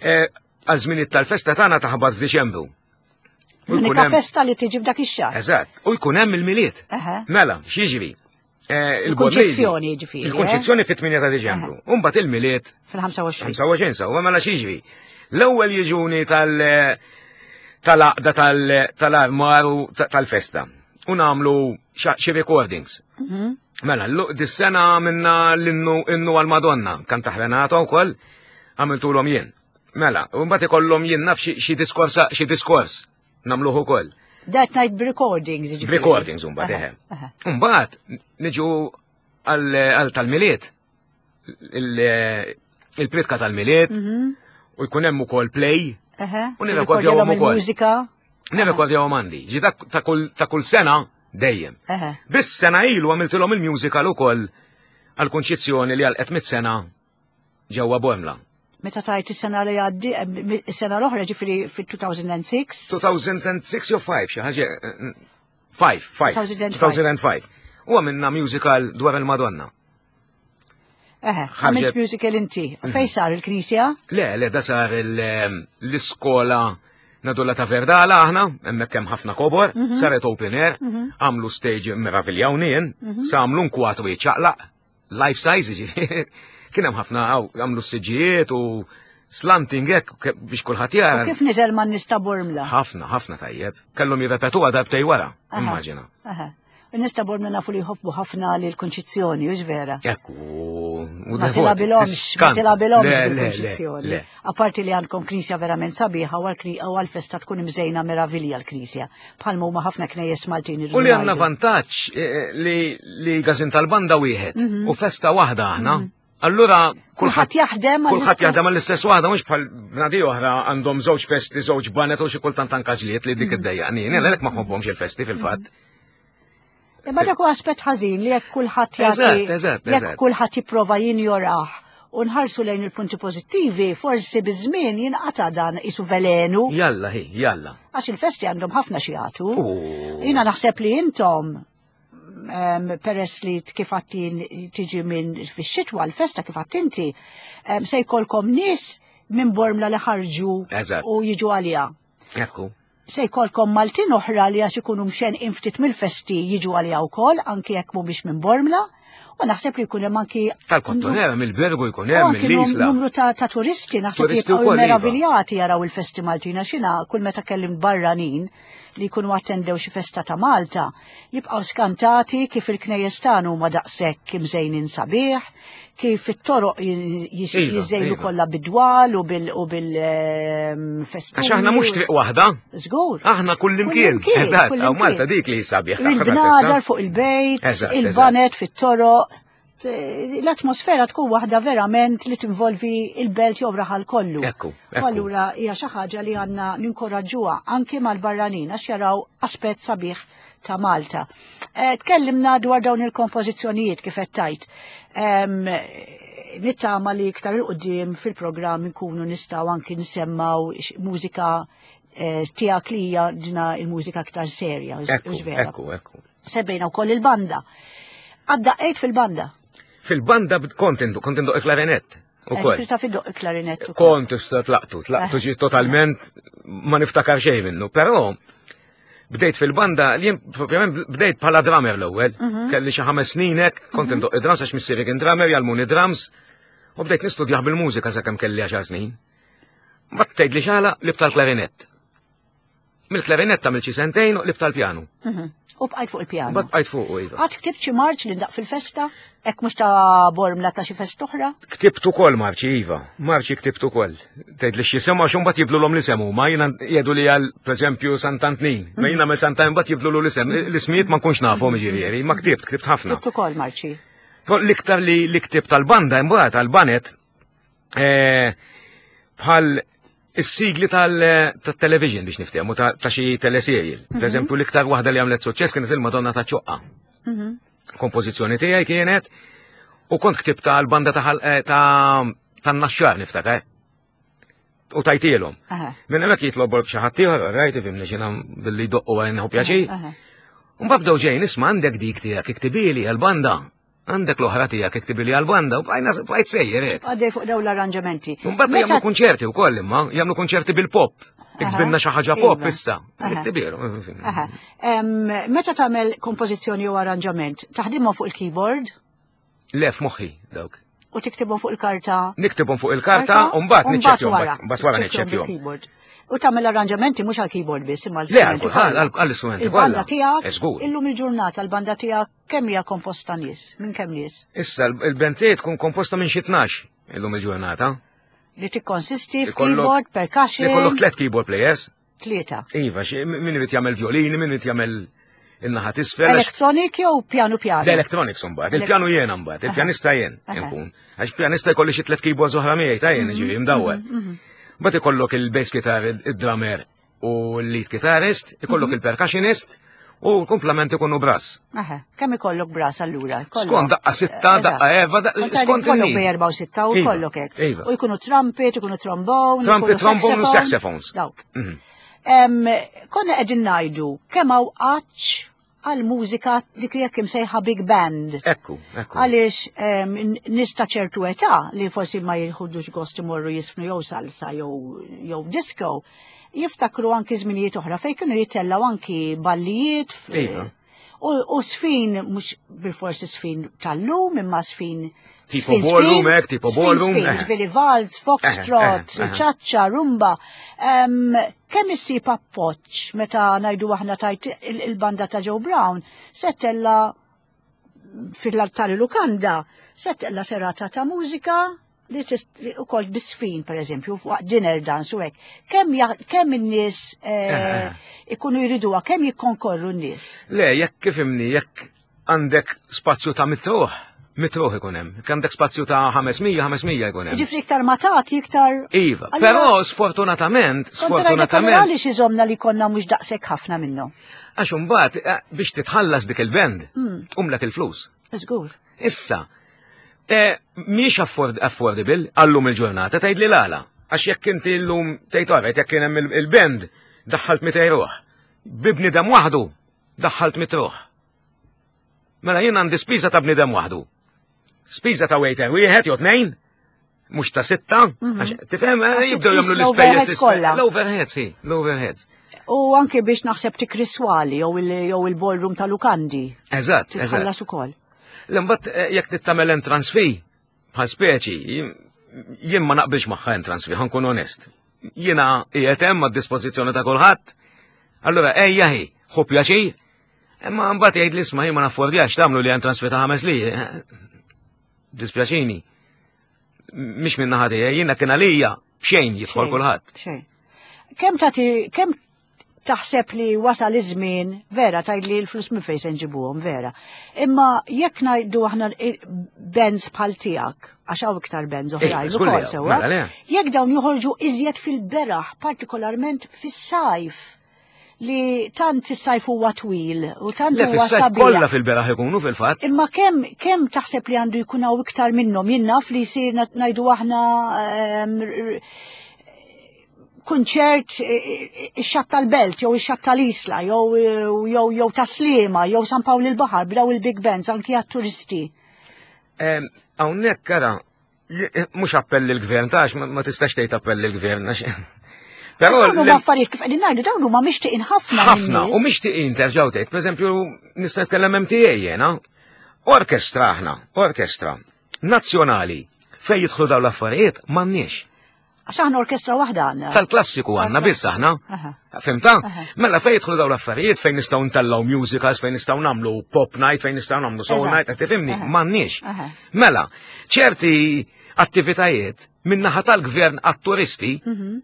Eh, għaż-żminijiet tal-festa tagħna taħbat f'Diċembru. L-unika festa li tiġi f'dak ix-xahar. Eżatt, u jkun hemm il-Milied. Mela, x'jiġri? Eh, il-Konċizzjoni ġifieri. Eh? Il-Konċizzjoni fit-8 ta' Diċembru. U mbagħad il-Milied fil-25. 25 sewwa mela x'jiġri? L-ewwel jiġuni tal- tal-aqda tal-armar u tal-festa. U nagħmlu xi recordings. Mhm. Mela, dis-sena minna l-innu għal-Madonna, kan taħrenata wkoll, għamiltulhom jien. Mela, u mbagħad ikollhom jien naf xi diskors xi diskors nagħmluh ukoll. That night recordings jiġifieri. Recordings mbagħad eħe. Mbagħad niġu għal tal-Milied. Il-pritka tal-Milied mhm. u jkun hemm ukoll play. U nirrekordjawhom ukoll. Mużika. Nirrekordjawhom għandi. Ġi ta' kull sena dejjem. Biss sena ilu għamiltilhom il-musical ukoll għal-kunċizzjoni li għal mit sena ġewwa Bormla. Meta tajt is-sena li għaddi, eh, is-sena l-oħra ġifieri fit-2006. 2006 jew 5, xi ħaġa 5, 5. 2005. U għamilna musical dwar il-Madonna. Eħe, għamilt musical inti. Mhm. Fej sar il-knisja? Le, le, da sar eh, l-iskola nadulla ta' Verdala aħna, hemmhekk hemm ħafna kobor, mhm. saret open air, mhm. għamlu stage meraviljawni jien, sa għamlu nkwatru jiċċaqlaq, life size ġifieri. Kien hemm ħafna għamlu s-siġijiet u slanting hekk biex kulħadd jara. Kif niżel man nista' Bormla? Ħafna, ħafna tajjeb. Kellhom jirrepetuha darbtej wara, immaġina. In-nies ta' Bormla nafu li jħobbu ħafna li l-Kunċizzjoni, hux vera? Ekku, ma tilgħabilhomx, ma tilgħabilhomx bil-Kunċizzjoni. Apparti li għandkom knisja verament sabiħa u għall-festa tkun imżejna meravilja l-knisja. Bħalma huma ħafna knejjes Maltin. U li għandna vantaġġ eh, eh, li gazin tal-banda wieħed mhm. u festa waħda aħna. Mhm. Allura kulħadd jaħdem kulħadd jaħdem għall-istess waħda mhux bħal bnadi oħra għandhom żewġ festi, żewġ banet u xi kultant anka ġlied li dik mhm. iddejjaqni. Jien għalhekk ma ħobbhomx il-festi fil-fatt. Imma dak huwa aspett ħażin li jekk kulħadd jagħti jekk kulħadd jipprova jinjorah u nħarsu lejn il-punti pożittivi, forsi biż-żmien jinqata' dan isu velenu. Jalla hi, jalla. Għax il-festi għandhom ħafna xi jagħtu. Jiena naħseb li intom peress li kif tiġi minn fix-xitwa l-festa kif inti, se jkollkom nies minn Bormla li ħarġu u jiġu għaliha. Ekku. Se jkollkom Maltin oħra li għax ikunu mxenqin ftit mill-festi jiġu għaliha wkoll anki jekk mhumiex minn Bormla. U naħseb li jkun hemm anki tal-Kottonera mill-Bergu jkun hemm mill-Isla. Numru ta', ta turisti naħseb li jibqgħu iva. meraviljati jaraw il-festi Maltin għax jiena kull meta kellim barranin li jkunu attendew xi festa ta' Malta, jibqgħu skantati kif il-knejjes tagħna huma daqshekk imżejnin sabiħ, kif it-toroq iva, jiżejnu iva. kollha bidwal u bil-festuni. Għax aħna mhux triq waħda. Żgur. Aħna kullimkien. Eżatt, hawn Malta dik li sabiħ. Il-bnadar fuq il-bejt, il-banet fit-toroq. L-atmosfera tkun waħda verament li tinvolvi il-belt jew raħal kollu. Ekku. Allura hija xi ħaġa li għandna ninkoraġġuha anke mal-barranin għax jaraw aspett sabiħ ta' Malta. Eh, tkellimna dwar dawn il-kompożizzjonijiet kif qed tajt. Nittama li iktar il-qudiem fil-programm nkunu nistgħu anki nsemmaw mużika eh, tiegħek li hija dina il-mużika aktar serja. Ekku, ekku, ekku. Sebbejna wkoll il-banda. Għadda fil-banda. Fil-banda kont indu, kont indu il-klarinett. Ukoll. Eh, ta' fid-doq il-klarinett. Kont issa tlaqtu, tlaqtu ġi totalment ma niftakar xejn minnu, però bdejt fil-banda, jien propjament bdejt bħala drummer l-ewwel, mhm. kelli xi ħames snin hekk, kont mhm. indoq id-drums għax missieri kien drummer, jgħallmuni drums, u bdejt nistudjah bil-mużika sakemm kelli għaxar snin. Ma tgħidli xala li tal-klarinett. Mill-klarinett għamilt xi sentejn u qlibt tal-pjanu. U bqajt fuq il-pjanu. Mbagħad bqajt fuq iva. Għad ktibt xi marċ li ndaq fil-festa? Hekk mhux ta' bormla ta' xi festa oħra? Ktibt ukoll marċi iva, marċi ktibt ukoll. Tgħid li x'jisimgħu għax imbagħad jibdlulhom l-isem huma, jiena jgħidu li għal pereżempju Sant'Antnin. Ma jiena nagħmel Sant'Antnin mbagħad jibdlulu l-isem. L-ismijiet ma nkunx nafhom jiġifieri, ma ktibt, ktibt ħafna. Ktibt ukoll marċi. L-iktar li li ktibt tal-banda imbagħad tal-banet eh, bħal is-sigli tal-television biex niftehmu ta' xi teleserial. Mhm. Per eżempju, l-iktar waħda li għamlet suċċess kienet il-Madonna ta' Ċoqqa. Mhm. Kompożizzjoni tiegħi kienet u kont ktibta għal-banda ta' eh, tan-naxxar niftakar. U tajtielhom. Minn hemmhekk jitlob xi ħadd ieħor, rajt ifhimni xi billi jdoqqu għal nieħu pjaċir. Mbagħad bdew ġejn isma' għandek dik tiegħek iktibili għall-banda. Għandek l-oħra tiegħek iktibili għall-banda u bqajna bqajt sejjer hekk. Għaddej fuq dawn l-arranġamenti. Mbagħad jagħmlu kunċerti wkoll imma, jagħmlu kunċerti bil-pop. Iktbilna xi ħaġa pop iva. issa. Iktibilu. Meta tagħmel kompożizzjoni jew arranġament, taħdimhom fuq il-keyboard? Le f'moħħi dawk. U tiktibhom fuq il-karta? Niktibhom fuq il-karta u mbagħad niċċekkjhom. Mbagħad wara niċċekkjhom. U tagħmel arranġamenti mhux għall-keyboard biss imma għall-istrumenti. Le għall-istrumenti. Il-banda tiegħek illum il-ġurnata l-banda tiegħek kemm hija komposta nies? Minn kemm nies? Issa il-band tiegħi tkun komposta minn xi 12 illum il-ġurnata. Li tikkonsisti f'keyboard, percussion. Ikollok tliet keyboard players. Tlieta. Iva, min irid jagħmel violini, min irid jagħmel in-naħa t'isfel. Electronic jew pjanu pjanu? L-electronics mbagħad, il-pjanu jien mbagħad, il-pjanista jien inkun. Għax pjanista jkolli xi tliet keyboards oħra miegħi ta' jien ġifieri mdawwar. Mbagħad ikollok il-bass guitar, id-drummer u l-lead guitarist, ikollok mhm. il-percussionist u l-komplement ikunu brass. Aha, kemm ikollok brass allura? Skont daqqa sitta, eh, daqqa erba, skont ikollok bej erba u sitta u iva, kollok hekk. Iva. U jkunu trumpet, ikunu trombone, trumpet, trombone u saxophones. Dawk. Mhm. Konna qegħdin ngħidu kemm hawn għatx għal mużika li jekk imsejħa big band. Ekku, ekku. Għaliex nies ta' ċertu età li forsi ma jieħdux gost imorru jisfnu jew salsa jew disco, jiftakru anki żminijiet oħra fejn kienu jitellgħu anki ballijiet. Iva. U sfin, mhux bil-forsi sfin tal-lum, imma sfin Tipo ballroom, ek, tipo ballroom. Ġifieri vals, foxtrot, ċaċċa, rumba. Kemm issib appoġġ meta ngħidu aħna tajt il-banda ta' Joe Brown se tella fil-altari lukanda, se tella serata ta' mużika li ukoll bisfin per eżempju, waqt dinner dance u hekk. Kemm kemm in-nies eh, eh, eh. ikunu jriduha, kemm jikkonkorru n-nies? Le, jekk kif imni, jekk għandek spazju ta' mitruħ, mitruħ ikun hemm. Jekk għandek spazju ta' 500, 500 ikun hemm. Ġifri iktar ma tagħti iktar. Iva, però sfortunatament, sfortunatament. Għaliex iżomna li konna mhux daqshekk ħafna minnhom. Għax imbagħad biex titħallas dik il-band, tqumlek il-flus. Żgur. Issa, eh, mhix affordable għallum il-ġurnata tgħid li l-għala. Għax jekk inti llum tgħid għaret jekk kien hemm il-band daħħalt 200 ruħ. Bibnidem waħdu daħħalt 100 ruħ. Mela jien għandi spiża ta' bniedem waħdu. Spiża ta' waiter wieħed jew tnejn, mhux ta' sitta, mhm. tifhem eh, jibdew jagħmlu l-ispejjeż kollha. L-overheads, hi, l-overheads. U anke biex naħseb tikriswali jew il-ballroom ta' lukandi. Eżatt, eżatt. Titħallas ukoll. L-imbagħad eh, jekk tittamel entrance fee bħal speċi, jien ma naqbilx magħha entrance fee, ħankun onest. Jiena qiegħed hemm għad-dispożizzjoni ta' kulħadd. Allura ejja hi, ħu pjaċir, imma mbagħad jgħid li isma' ma naffordjax tagħmlu li entrance fee ta' ħames li. Dispjaċini. Mhix minn naħa tiegħi, jiena kien għalija b'xejn jidħol kulħadd. Xejn. Kemm tagħti kemm taħseb li wasal iż-żmien, vera tgħid li l-flus minn fejn se nġibuhom, vera. Imma jekk ngħidu aħna bands bħal tiegħek, għax hawn iktar bands oħrajn ukoll sewwa. Mela jekk dawn joħorġu iżjed fil-beraħ, partikolarment fis-sajf li tant is-sajf huwa twil u tant huwa sabiħ. Kollha fil-beraħ ikunu fil-fatt. Imma kemm kemm taħseb li għandu jkun hawn iktar minnhom jien naf li jsir ngħidu aħna ehm, kunċert ix-xatt tal-Belt jew ix-xatt tal-Isla jew jew jew tas-Sliema jew San Pawl il-Baħar b'daw il-big bands anki għat-turisti. Hawnhekk ara mhux appell lill-gvern tax ma tistax tgħid appell lill-gvern għax Però dawn huma affarijiet kif qegħdin ngħidu dawn huma mixtieqin ħafna. Ħafna u mixtieqin terġgħu tgħid, pereżempju nista' nitkellem MTA jiena. Orkestra aħna, orkestra nazzjonali fejn jidħlu dawn l-affarijiet m'għandniex. Għax aħna orkestra waħda għandna. Tal-klassiku għandna biss aħna. Fimta? Mela fejn jidħlu dawn l-affarijiet fejn nistgħu ntellgħu musicals, fejn nistgħu nagħmlu pop night, fejn nistgħu nagħmlu soul night, qed tifhimni? M'għandniex. Mela, ċerti attivitajiet min-naħa tal-gvern għat-turisti mhm.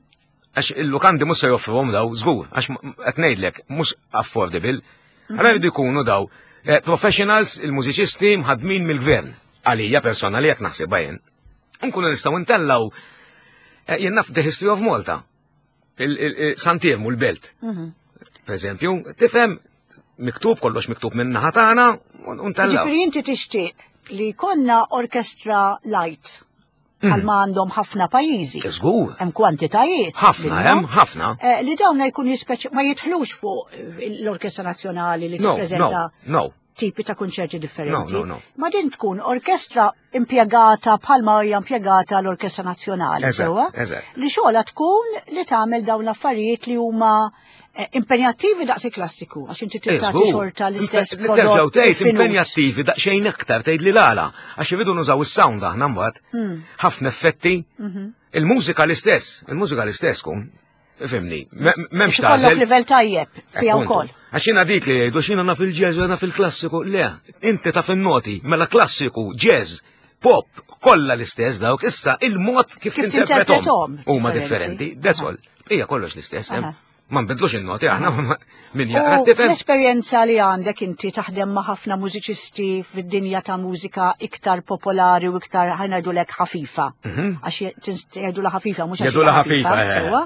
għax il-lukandi mhux se joffruhom daw, żgur, għax qed ngħidlek mhux affordable. Mhm. Allora jridu jkunu daw eh, professionals, il-mużiċisti mħadmin mill-gvern. Għalija personali jekk naħsibha jien. Nkunu nistgħu ntellgħu eh, jien naf The History of Malta. Santirmu l-belt. Mhm. Per eżempju, tifhem miktub kollox miktub minn naħa tagħna u ntellgħu. Ġifieri inti tixtieq li konna orkestra light bħal ma għandhom ħafna pajjiżi. Żgur. Hemm kwantitajiet. Ħafna hemm, ħafna. Eh, li dawn jkun jispeċi ma jidħlux fuq l-Orkestra Nazzjonali li tippreżenta no, tipi ta' kunċerti differenti. No, no, no. Ma din tkun orkestra impjegata bħalma hija impjegata l-Orkestra Nazzjonali, sewwa? Li xogħla tkun li tagħmel dawn l-affarijiet li huma eh, impenjattivi daqs il-klassiku, għax inti trid tagħti xorta l-istess prodott. Terġgħu tgħid impenjattivi daqsxejn aktar tgħid li l-għala, għax iridu nużaw is-sound aħna mbagħad. Hmm. Ħafna effetti. Mhm. Il-mużika l-istess, il-mużika l-istess kun. Fimni, memx tażel. Ikollok livell tajjeb fiha wkoll. Għax jiena dik li jgħidu x'jiena naf il-jazz u naf il-klassiku, le, inti taf in-noti, mela klassiku, jazz, pop, kollha l-istess dawk, issa il-mod kif tinterpretom huma differenti, that's all. Hija kollox l-istess, ma nbidlux in-noti aħna min jaqra tifhem. L-esperjenza li għandek inti taħdem ma' ħafna mużiċisti fid-dinja ta' mużika iktar popolari u iktar ħanajdulek ħafifa. Mhm. Għax jgħidula ħafifa mhux għax jgħidula ħafifa. Eh. Sewwa.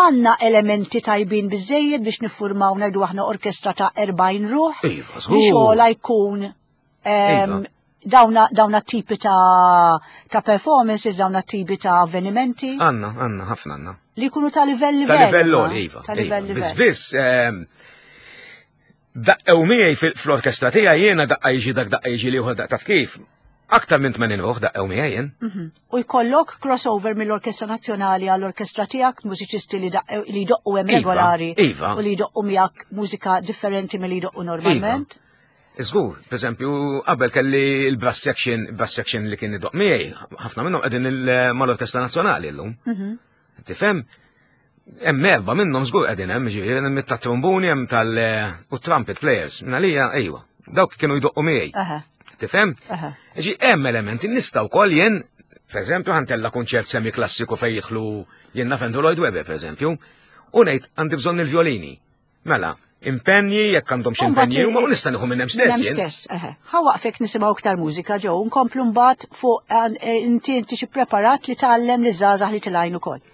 Għandna elementi tajbin biżejjed biex niffurmaw ngħidu aħna orkestra ta' 40 ruħ. Iva, żgur. Xogħla jkun iva. dawna, dawna tipi ta', ta performances, dawna tipi ta' avvenimenti. Għanna, għanna, ħafna għanna. Li jkunu ta' livell livell. Ta' livell iva. Ta' livell livell. Biss, biss, Daqqew miegħi fl-orkestra tiegħi jiena daqqa jiġi dak daqqa jiġi liħor daqqa taf kif. Aktar minn 80 ruħ daqqew miegħi jien. Mhm. U jkollok crossover mill-Orkestra Nazzjonali għall-orkestra tiegħek, mużiċisti li li jdoqqu hemm iva, regolari iva. u li jdoqqu miegħek mużika differenti milli jdoqqu normalment. Iva. Żgur, per eżempju, qabel kelli l-brass section, brass section li kien idoq miegħi, ħafna minnhom qegħdin mal-Orkestra Nazzjonali llum. Mhm. Tifhem? Hemm erba' minnhom żgur qegħdin hemm, ġifieri hemm tat-trombuni hemm tal u trumpet players. Minn għalija ejwa, dawk kienu jdoqqu miegħi. Tifhem? Ġi hemm elementi nista' wkoll jien, pereżempju, ħantella kunċert semi klassiku fejn jidħlu jien naf Andrew Lloyd Webber, pereżempju, u ngħid għandi bżonn il-violini. Mela, impenji, jekk għandhom xi impenji, huma u nista' nieħu minn hemm stess. Minn stess, eħe. Ħa waqfek nisimgħu iktar mużika ġew, nkomplu mbagħad fuq eh, inti inti xi preparat li tgħallem li żgħażagħ li tilgħin ukoll.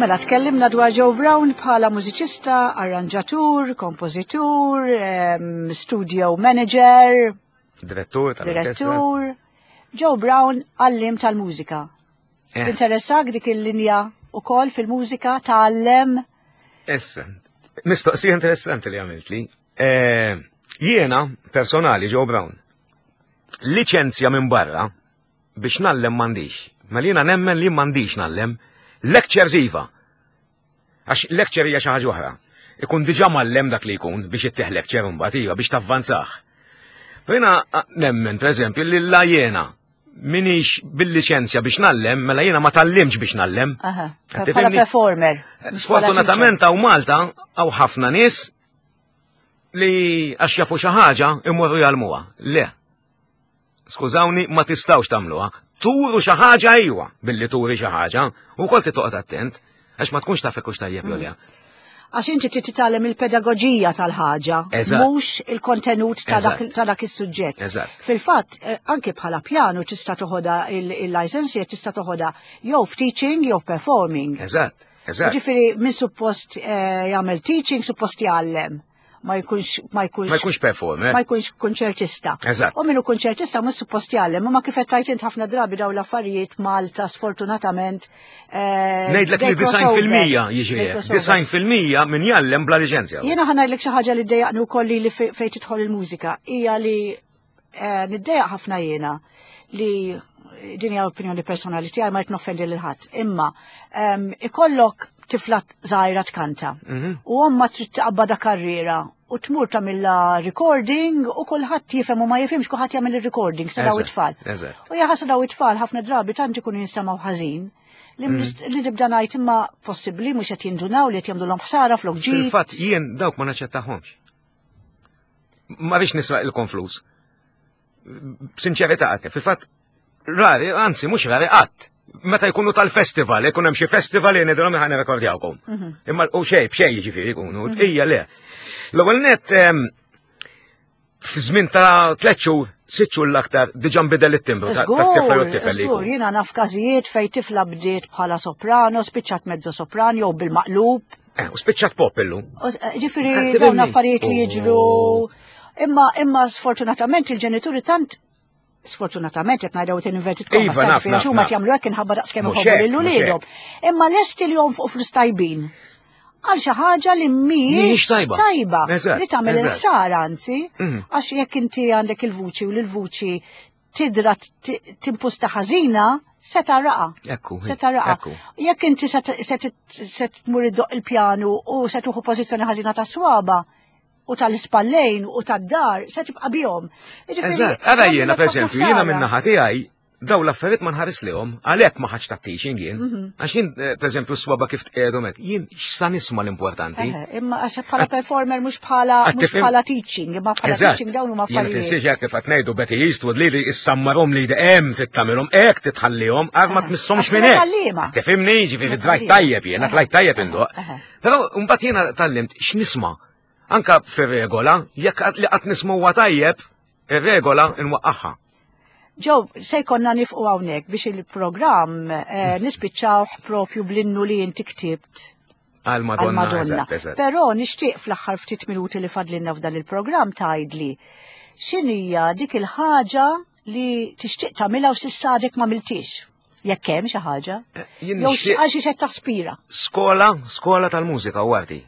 Mela tkellimna dwar Joe Brown bħala mużiċista, arranġatur, kompożitur, studio manager, direttur, direttur. Joe Brown għallim tal-mużika. Eh. Tinteressak dik il-linja u kol fil-mużika tgħallem? Issa, mistoqsija interessanti li għamilt li. Eh, jiena, personali, Joe Brown, liċenzja minn barra biex nallem m'għandix. Mela jiena nemmen li m'għandix nallem. Lectures iva. Għax lecture hija xi ħaġa oħra. Ikun diġà mallem dak li jkun biex ittieħ lecture imbagħad iva biex tavvanzah. Jiena nemmen, per eżempju, li la jiena minix bil-liċenzja biex nallem, mela jiena ma tallimx biex nallem. Bħala performer. Sfortunatament hawn Malta hawn ħafna nies. li għax jafu xi ħaġa imorru jgħallmuha. Le. Skużawni, ma tistgħux tagħmluha. Turu xi ħaġa ejwa billi turi xi ħaġa u wkoll titoqgħod attent għax ma tkunx taf hekk tajjeb jew le. Għax inti trid titgħallem il-pedagoġija tal-ħaġa, mhux il-kontenut ta' dak is-suġġett. Fil-fatt, eh, anke bħala pjanu tista' toħodha il-license tista' toħodha jew f'teaching jew f'performing. Eżatt. Eżatt. Ġifieri min suppost eh, jagħmel teaching suppost jgħallem ma jkunx ma jkunx ma jkunx performer. Ma jkunx konċertista. Eżatt. U minnu konċertista mhux suppost jgħallem, ma kif qed tajt int ħafna drabi dawn l-affarijiet Malta sfortunatament. Eh, Ngħidlek li 90% jiġri 90% min jgħallem bla liċenzja. Jiena ħa ngħidlek xi ħaġa li ddejjaqni wkoll li fejn tidħol il-mużika hija li eh, niddejjaq ħafna jiena li din hija opinjoni personali tiegħi ma qed noffendi lil ħadd. Imma ehm, ikollok tifla żgħira tkanta. Mhm. U omma trid taqbada karriera u tmur tagħmilha recording u kulħadd jifhem u ma jifhimx kulħadd jagħmel ir-recording sa daw it-tfal. U jaħasra daw it-tfal ħafna drabi tant ikunu jinstemgħu ħażin li mhm. li nibda ngħid imma possibbli mhux qed jindunaw li qed jagħmluhom ħsara flok ġid. Fil-fatt jien dawk ma naċċettahomx. Ma rridx nisraq ilkom flus. B'sinċerità għak, fil-fatt rari, anzi mhux rari qatt. Meta jkunu tal-festival, jkun hemm xi festival li ngħidulhom ħa nirrekordjawkom. Mhm. Imma u xejn b'xejn jiġifieri jkunu, mhm. hija le. L-ewwel nett f'żmien ta' tliet xhur, sitt xhur l-aktar diġà nbidel it-timbru ta' tifla jew tifel li. Żgur, jiena naf każijiet fejn tifla bdiet bħala soprano, spiċċat mezzo sopran jew bil-maqlub. Eh, u spiċċat pop illum. Eh, ġifieri eh, dawn affarijiet li jiġru. Imma imma sfortunatament il-ġenituri tant sfortunatament qed ngħidu qed inverted commas iva, naf, naf, huma jagħmlu hekk inħabba daqskemm iħobbu lil uliedhom. Imma lesti li jonfqu flus tajbin għal xi ħaġa li mhijiex tajba li tagħmel il-ħsara anzi mhm. għax jekk inti għandek il-vuċi u l-vuċi tidra timpusta ħażina se taraqa. Ekku. Se taraqa. Jekk inti se tmur iddoq il-pjanu u se tuħu pożizzjoni ħażina ta' swaba u tal-ispallejn u tad-dar se tibqa' bihom. Eżatt, ara jiena pereżempju, jiena minn naħa tiegħi daw l-affarijiet ma nħares lihom, għalhekk ma ħadx ta' teaching jien. Mhm. Għax jien eh, pereżempju s-swaba kif tqiegħdu hekk, jien x'sa nisma' l-importanti. Imma għax bħala performer mhux bħala mhux bħala teaching, imma bħala teaching dawn huma affarijiet. Jien tinsiex hekk kif qed ngħidu Betty Eastwood li li issammarhom li hemm trid tagħmilhom hekk titħallihom għar ma tmissomx minn hekk. Tifhimni, ġifieri drajt tajjeb jiena tlajt tajjeb indoq. Però mbagħad jiena tallimt x'nisma' anka fir-regola, jekk li qatt nisma' huwa tajjeb, ir-regola nwaqqagħha. Ġew, se jkollna nifqu hawnhekk biex il-programm eh, nispiċċawh propju bl-innu li inti ktibt għal Madonna. Però nixtieq fl-aħħar ftit minuti li fadlinna f'dan il-programm tgħidli x'inhija dik il-ħaġa li tixtieq tagħmilha u s'issa għadek ma miltix. Jekk hemm xi ħaġa. Eh, Jew għal xi qed taspira. Skola, skola tal-mużika u arti.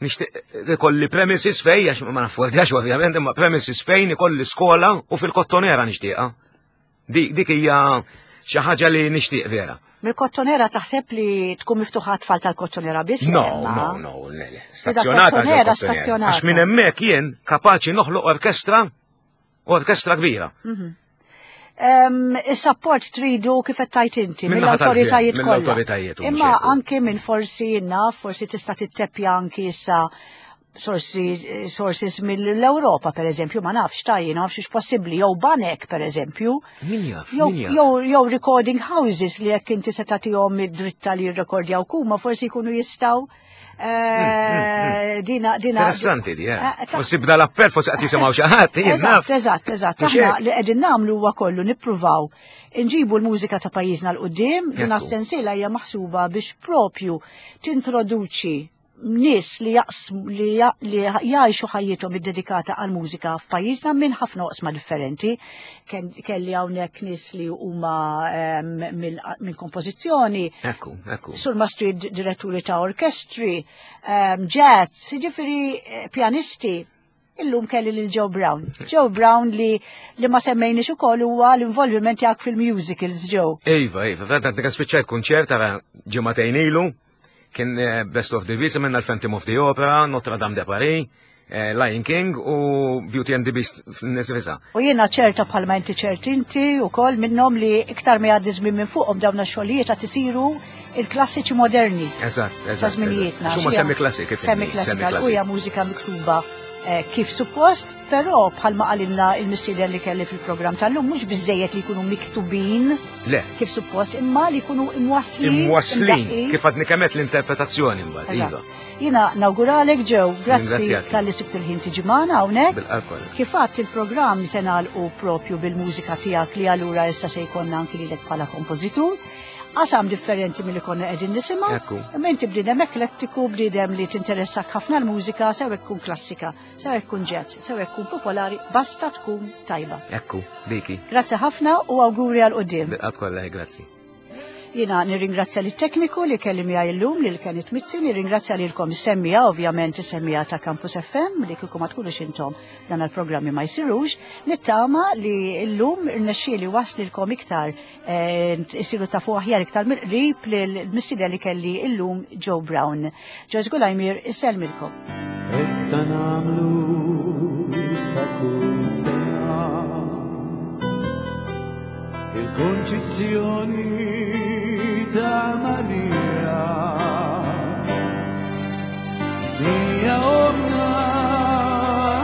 Nixtieq ikolli premises fej, għax ma naffordjax ovvjament, imma premises fejn ikolli skola u fil-kottonera nixtieqha. Dik hija xi ħaġa li nixtieq vera. Mill-kottonera taħseb li tkun miftuħa tfal tal-kottonera biss? No, no, no, le, le. Stazzjonata. Kottonera stazzjonata. Għax minn hemmhekk jien kapaċi noħloq orkestra Orkestra kbira. Mhm. Is-support tridu kif qed tajt inti mill-awtoritajiet kollha. Imma anke minn forsi naf, forsi tista' titteppja anki issa sorsi sources mill-Ewropa per eżempju, ma nafx ta' jien nafx possibbli jew banek per eżempju. Jew recording houses li jekk inti se tagħtihom id-dritta li jirrekordjaw kuma forsi jkunu jistgħu Eh, dina, dina. Interessanti di, eh. eh forsi bda l-appell, forsi qed jisimgħu xi ħadd, Eżatt, eżatt, eżatt. Aħna li qegħdin nagħmlu huwa kollu nippruvaw inġibu l-mużika ta' pajjiżna l qudiem din sensiela hija maħsuba biex propju tintroduċi nies li li jgħixu ħajjithom iddedikata għal mużika f'pajjiżna minn ħafna oqsma differenti. Kelli hawnhekk nies li huma ehm, minn kompożizzjoni. Ekku, ekku. Sur mastri diretturi ta' orkestri, ehm, jazz, jiġifieri eh, pjanisti. Illum kelli lil Joe Brown. Joe Brown li li ma semmejniex ukoll huwa l-involviment tiegħek fil-musicals, Joe. Iva, iva, għadna kan spiċċajt kunċert għara ġimagħtejn ilu, kien eh, Best of the Beast, minna l-Phantom of the Opera, Notre Dame de Paris, eh, Lion King u Beauty and the Beast f'Nisrisa. U jiena ċerta bħalma inti ċert inti u kol minnom li iktar ma jgħaddi żmien minn fuqhom dawn ix-xogħlijiet qed isiru il-klassiċi moderni. Eżatt, eżatt. Ta' żminijietna. X'huma semi klassik. Semi klassika, u hija mużika miktuba. kif suppost, però bħalma qalilna il-mistieden li kelli fil-programm tal-lum mhux biżejjed li jkunu miktubin Le. kif suppost, imma li jkunu imwasslin. Imwasslin, kif għadni kemet l-interpretazzjoni mbagħad, iva. Jiena nawguralek ġew, grazzi tal-li sibt il-ħin tiġi magħna hawnhekk. Kif għadt il-programm se nagħlqu propju bil-mużika tiegħek li allura issa se jkollna anki lilek bħala kompożitur. Qasam differenti milli konna qegħdin nisimgħu. Imma inti bniedem eklettiku, bniedem li tinteressak ħafna l-mużika, sew tkun klassika, sew tkun jazz, sew tkun popolari, basta tkun tajba. Ekku, diki. Grazzi ħafna u awguri għal quddiem. Bil-qalb kollha, grazzi. Jiena nirringrazzja lit tekniku li kelli miegħi llum lil Kenneth Mizzi, nirringrazzja lilkom is-semmija, ovvjament is-semmija ta' Campus FM li kieku ma tkunux intom dan il-programmi ma jsirux, nittama li llum irnexxieli waslilkom iktar isiru tafu aħjar iktar mill-qrib lill-mistieden li kelli llum Joe Brown. Joyce Gulajmir isellmilkom. Festa nagħmlu ta' kull sena il-Konċizzjoni ta' Marija. Hija omna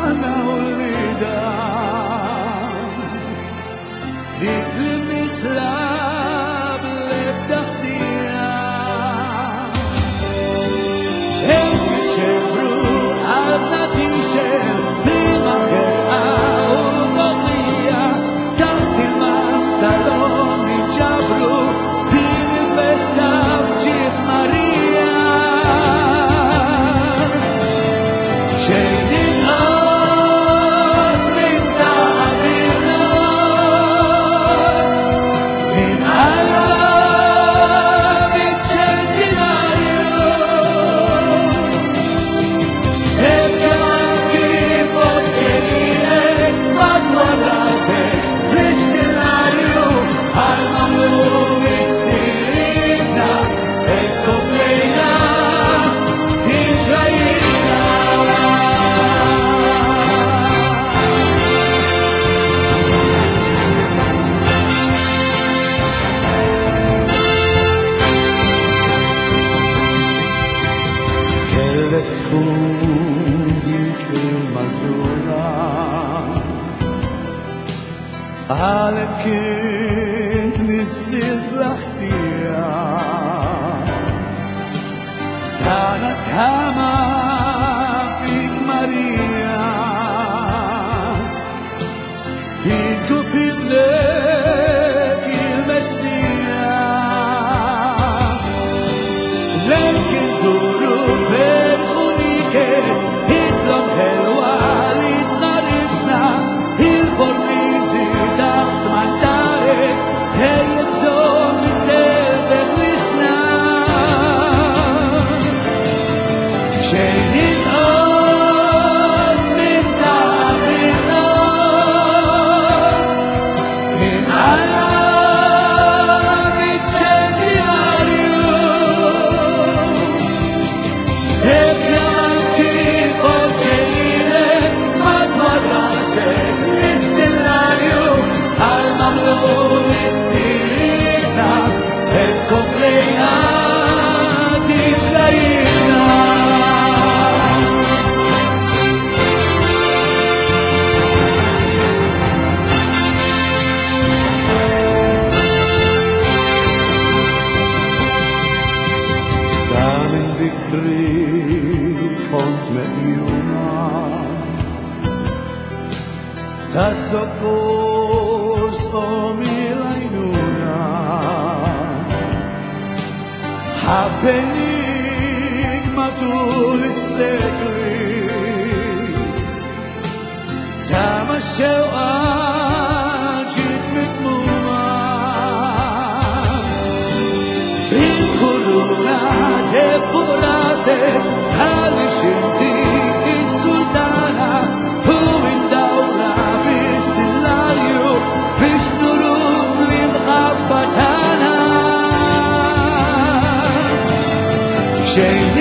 aħna wliedha, dik li nisla bl-ebda ħtija. Hekk iċembru qalbna tixgħel b'liema ħerqa u mogħdija, taħt il-man tal-omm niġġabru din il-festa b'ġieħ Marija. Xejn inqas minn ta' qabilna, minn Alla fiċ-ċentinarju. Ebda kif oċċelilek madwar rasek l-istillarju, għal mamlu missirietna, hekk komplejna tiġrajna. Kellek tkun dik il-mażura, għalek kint missier bla ħtija. Tana tama fik Marija, fik u fidlek il-Messija. Lejk induru ferħunike, idlom ħelwa li tħarisna, il-bormizi taħt mandarek, dejjem bżonn it-telfeħ lisna. Xejn inqas minn ta' qabilna, minn Alla fiċ-ċentinarju. Ebda kif oċċelilek madwar rasek l-istillarju, għal mamlu missirietna, hekk komplejna tiġrajna. Sa minn bikri kont meqjuma, ta' sokkors omi l-għajnuna. Ħabbenik matul is-sekli, sa ma x-xewqa ġiet mitmuma. Il-kuruna fuq rasek għaliex inti is-sultana, u indawra bi-stillarju biex nuruk l-imħabba tagħna. Xejn